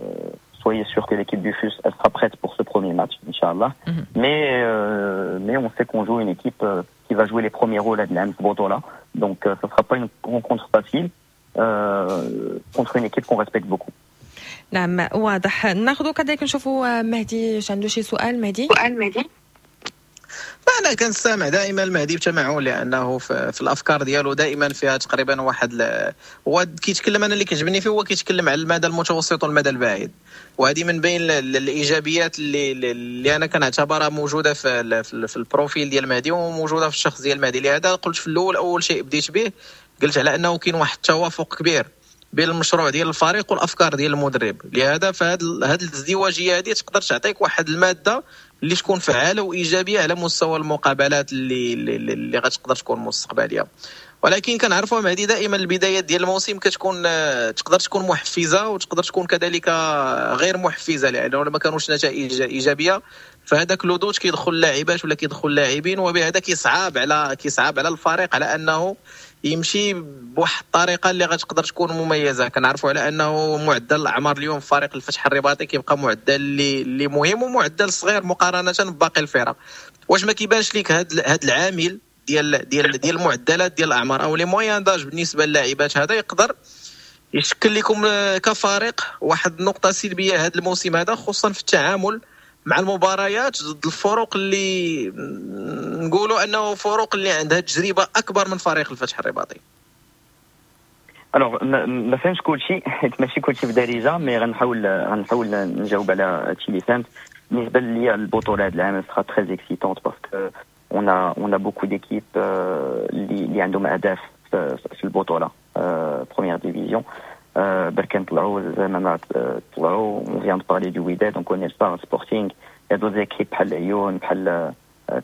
soyez sûr que l'équipe du F U S, elle sera prête pour ce premier match, إن شاء الله. Mm -hmm. Mais, euh, mais on sait qu'on joue une équipe euh, qui va jouer les premiers rôles هاد العام في البطولة. Donc, euh, ça ne sera pas une rencontre facile euh, contre une équipe qu'on respecte beaucoup. نعم، واضح. ناخذ كذلك نشوفوا مهدي واش عنده شي سؤال. مهدي؟ سؤال مهدي. انا كنستمع دائما المهدي بتمعن، لانه في, في الافكار ديالو دائما فيها تقريبا واحد ل... هو كيتكلم، انا اللي كيعجبني فيه هو كيتكلم على المدى المتوسط والمدى البعيد، وهذه من بين الايجابيات اللي اللي انا كنعتبرها موجودة في في ال profil ديال المهدي وموجودة في الشخص ديال المهدي. لهذا قلت في الاول، اول شيء بديت به قلت على انه كاين واحد التوافق كبير بين المشروع ديال الفريق والافكار ديال المدرب. لهذا فهاد هاد الازدواجيه هذه تقدر تعطيك واحد المادة اللي تكون فعاله وايجابية على مستوى المقابلات اللي اللي, اللي غتقدر تكون مستقبليه. ولكن كنعرفوا مهدي، دائما البدايات ديال الموسم كتكون تقدر تكون محفزه وتقدر تكون كذلك غير محفزه، لانه ما كانوش نتائج ايجابية فهذاك le doute كيدخل اللاعبات ولا كيدخل اللاعبين، وبهذا كيصعب على كيصعب على الفريق على انه يمشي بواحد الطريقة اللي غتقدر تكون مميزه. كنعرفوا على انه معدل الاعمار اليوم في فريق الفتح الرباطي كيبقى معدل اللي اللي مهم ومعدل صغير مقارنة بباقي الفرق. واش ما كيبانش لك هذا هذا العامل ديال ديال ديال المعدلات ديال الاعمار او les moyennes d'âge بالنسبة للاعبات، هذا يقدر يشكل لكم كفريق واحد النقطة سلبية هذا الموسم هذا، خصوصا في التعامل مع المباريات ضد الفرق اللي نقولوا انه فرق اللي عندها تجربه اكبر من فريق الفتح الرباطي؟ Alors ما فهمتش كلشي، حيت ماشي كلشي بدارجه، mais غنحاول غنحاول نجاوب على هادشي اللي فهمت. بالنسبة ليا البطولة هاد العام sera très excitante parce que on a on a beaucoup d'équipes اللي اللي عندهم اهداف في البطولة première division. بركان طلعوا، زعما طلعوا، on vient de parler du Wydad, on connaît le Sporting, il y a d'autres équipes بحال العيون، بحال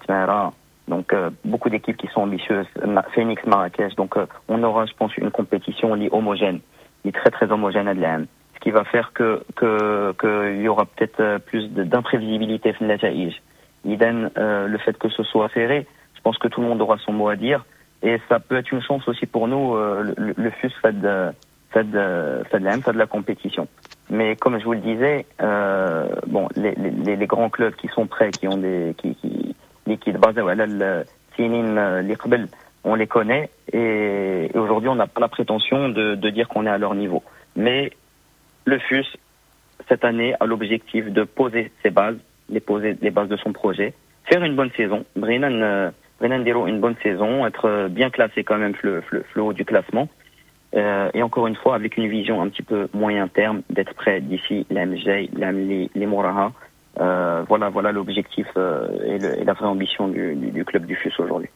تمارا، donc euh, beaucoup d'équipes qui sont ambitieuses, Phoenix Marrakech. Donc euh, on aura, je pense, une compétition اللي homogène, اللي très très homogène هاد العام. Ce qui va faire que que qu'il y aura peut-être plus d'imprévisibilité في النتائج. إذن euh, le fait que ce soit serré, je pense que tout le monde aura son mot à dire et ça peut être une chance aussi pour nous, euh, le, le F U S fait de fait de fait de, fait de la compétition. Mais comme je vous le disais, euh, bon, les, les, les grands clubs qui sont prêts, qui ont des qui qui اللي كيتبازاو على السنين اللي قبل, on les connaît et, et aujourd'hui on n'a pas la prétention de, de dire qu'on est à leur niveau. Mais le F U S cette année a l'objectif de poser ses bases, les poser les bases de son projet, faire une bonne saison. بغينا بغينا نديرو une bonne saison, être bien classé quand même في le haut du classement. Euh, et encore une fois, avec une vision un petit peu moyen terme, d'être prêt d'ici العام الجاي, العام اللي موراها. Euh, voilà, voilà l'objectif euh, et, le, et la vraie ambition du, du, du club du F U S aujourd'hui.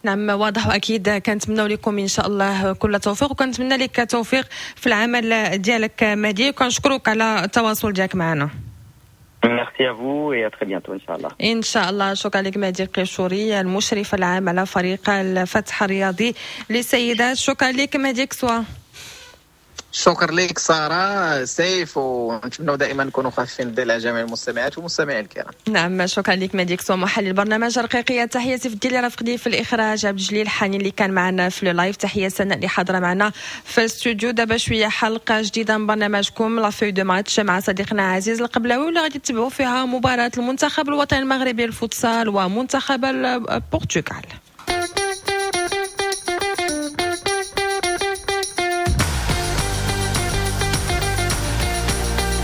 نعم، واضح، واكيد كنتمنوا لكم ان شاء الله كل التوفيق، وكنتمنى لك التوفيق في العمل ديالك مهدي، وكنشكرك على التواصل ديالك معنا. Merci à vous et à très bientôt إن شاء الله. ان شاء الله. شكرا لك مهدي القيشوري، المشرف العام على فريق الفتح الرياضي للسيدات. شكرا لك مهدي كسوا. شكرا لك ساره، سيف، ونتمنى دائما نكونوا خفيفين الظل على جميع المستمعات والمستمعين الكرام. نعم، شكرا لك مهدي كسوا، محلل برنامج رقيقيه. تحياتي في اللي رافقني في الاخراج عبد الجليل حاني، اللي كان معنا في ال live. تحية سناء اللي حاضره معنا في الاستوديو. دابا شوية حلقة جديدة من برنامجكم la feuille de match مع صديقنا عزيز القبلاوي، واللي غادي تتبعوا فيها مباراة المنتخب الوطني المغربي للفوتسال ومنتخب البرتغال.